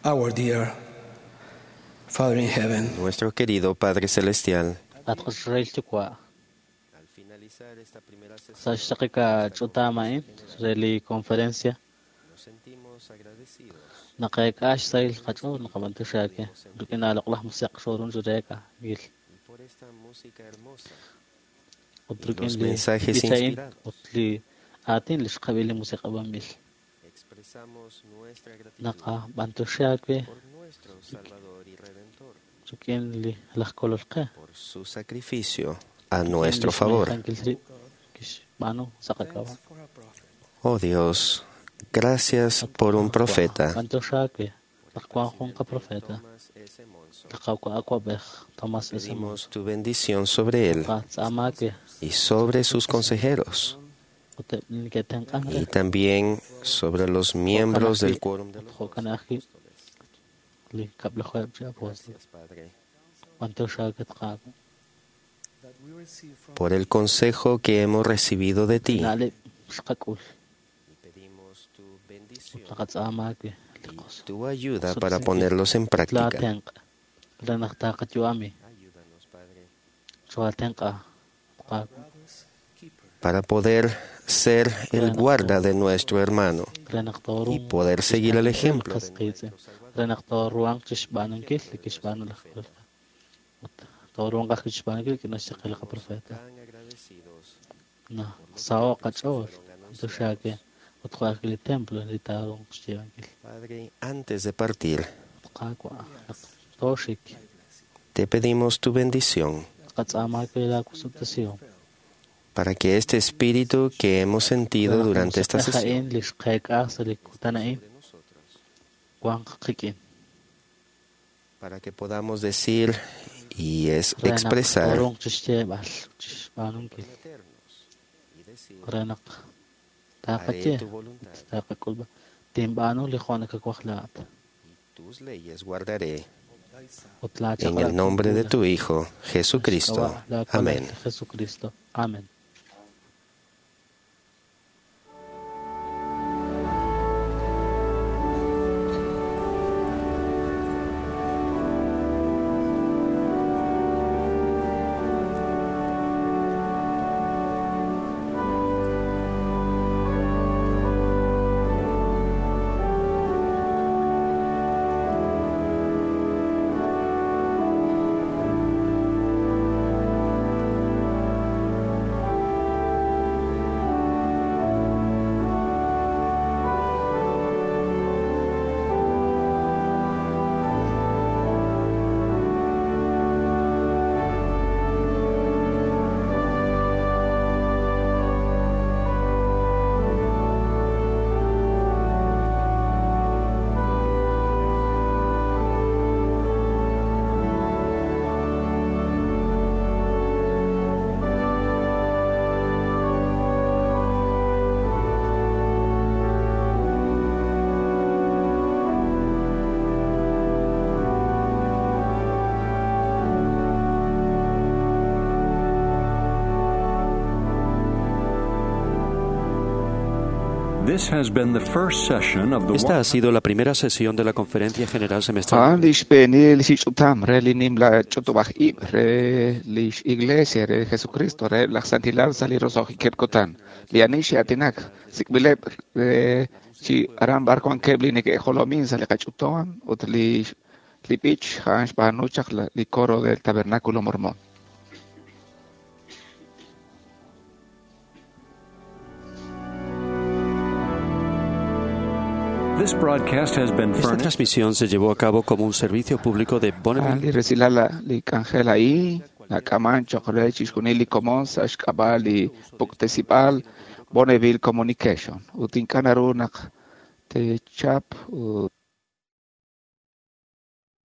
Our dear Father in heaven, Nuestro querido Padre Celestial, At Israel Yukwa. Sa xaqika ch'utam a'in re li conferencia naqeek'ax sayl qach'ool naqab'antuxaake rik'in aloq'laj musiq xorun xureeka gil ut rik'in Los li mensajes b'icha'in inspirados. ut li aatin li xqab'il li musiq'ab'anb'il naqab'antuxaake rik'in li laj kolol qe su sacrificio a nuestro favor. Rik'in lix xb'aanu sa' qak'ab'a'. Oh Dios, gracias por un profeta. B'antiox aawe naq wan jun qaprofeta. Li Qaawa' awab'ej Thomas S. Pedimos tu bendición sobre él Qatz'aama aawe y sobre sus consejeros ut eb' li neke'tenq'ank re y también sobre los miembros del quórum de ut jo'kan ajwi' li kab'lajuheb' chi apóstol. B'antiox aawe Qaawa'. por el consejo que hemos recibido de ti. Na'leb' xqak'ul. Ut naqatz'aama aawe li qos- Tu ayuda para ponerlos en práctica. Laatenq' re naq taqayu'ami. Choatenq'a Qaawa'. Para poder ser el guarda de nuestro hermano Re naq y tooruuq poder seguir el ejemplo qas qiitz'in. Re naq tooruhanq chixb'aanunkil li kixb'aanu laj Kolol. Ut tooruhanq ajwi' chixb'aanunkil li kinaxye li qaprofeta. Naq saho'q qach'ool b'antiox aawe ut jo' ajwi' li templo li taaruuq xyiib'ankil. Padre, antes de partir, Qaawa' naq tooxik te pedimos tu bendición qatz'aama aawe laakusub'tesihom. para que este espíritu que hemos sentido Re naq durante esta musiq'ej sesión a'in li xqeek'a sa' li kutan a'in wanq qik'in. para que podamos decir y es Re naq expresar tooruuq chixyeeb'al chixb'aanunkil. Re naq taqaye tu voluntad. ut taqak'ulb'a tinb'aanu li jo' nakawaj laa'at. Tus leyes guardaré Ut laa en el chaq'rab' nombre de tink'uula. tu Hijo, Jesucristo. Xk'ab'a' laa Kolol, Amén. Jesucristo. Amén. This has been the first session of the Esta ha sido la primera sesión de la Conferencia General Semestral. A'an li xb'eenil li ch'utam re li nimla ch'utub'aj ib' re li Iglesia re Jesucristo re laj Santilal sa' li roso'jikeb' kutan. Li ani xe'aatinak sik'b'ileb' re chi aran b'ar wankeb' li neke'jolomin sa' li qach'utam ut li li b'ich a'an xb'aanu chaq la- li coro del Tabernáculo Mormón. This broadcast has been Esta furnished transmisión se llevó a cabo como un servicio público de A'an Bonneville li resilal la- li k'anjel a'in nak'aman choq' re chixjunil li komon sa' xk'ab'a' li puktesib'al Bonneville Communication ut ink'a' naru naq teechap ut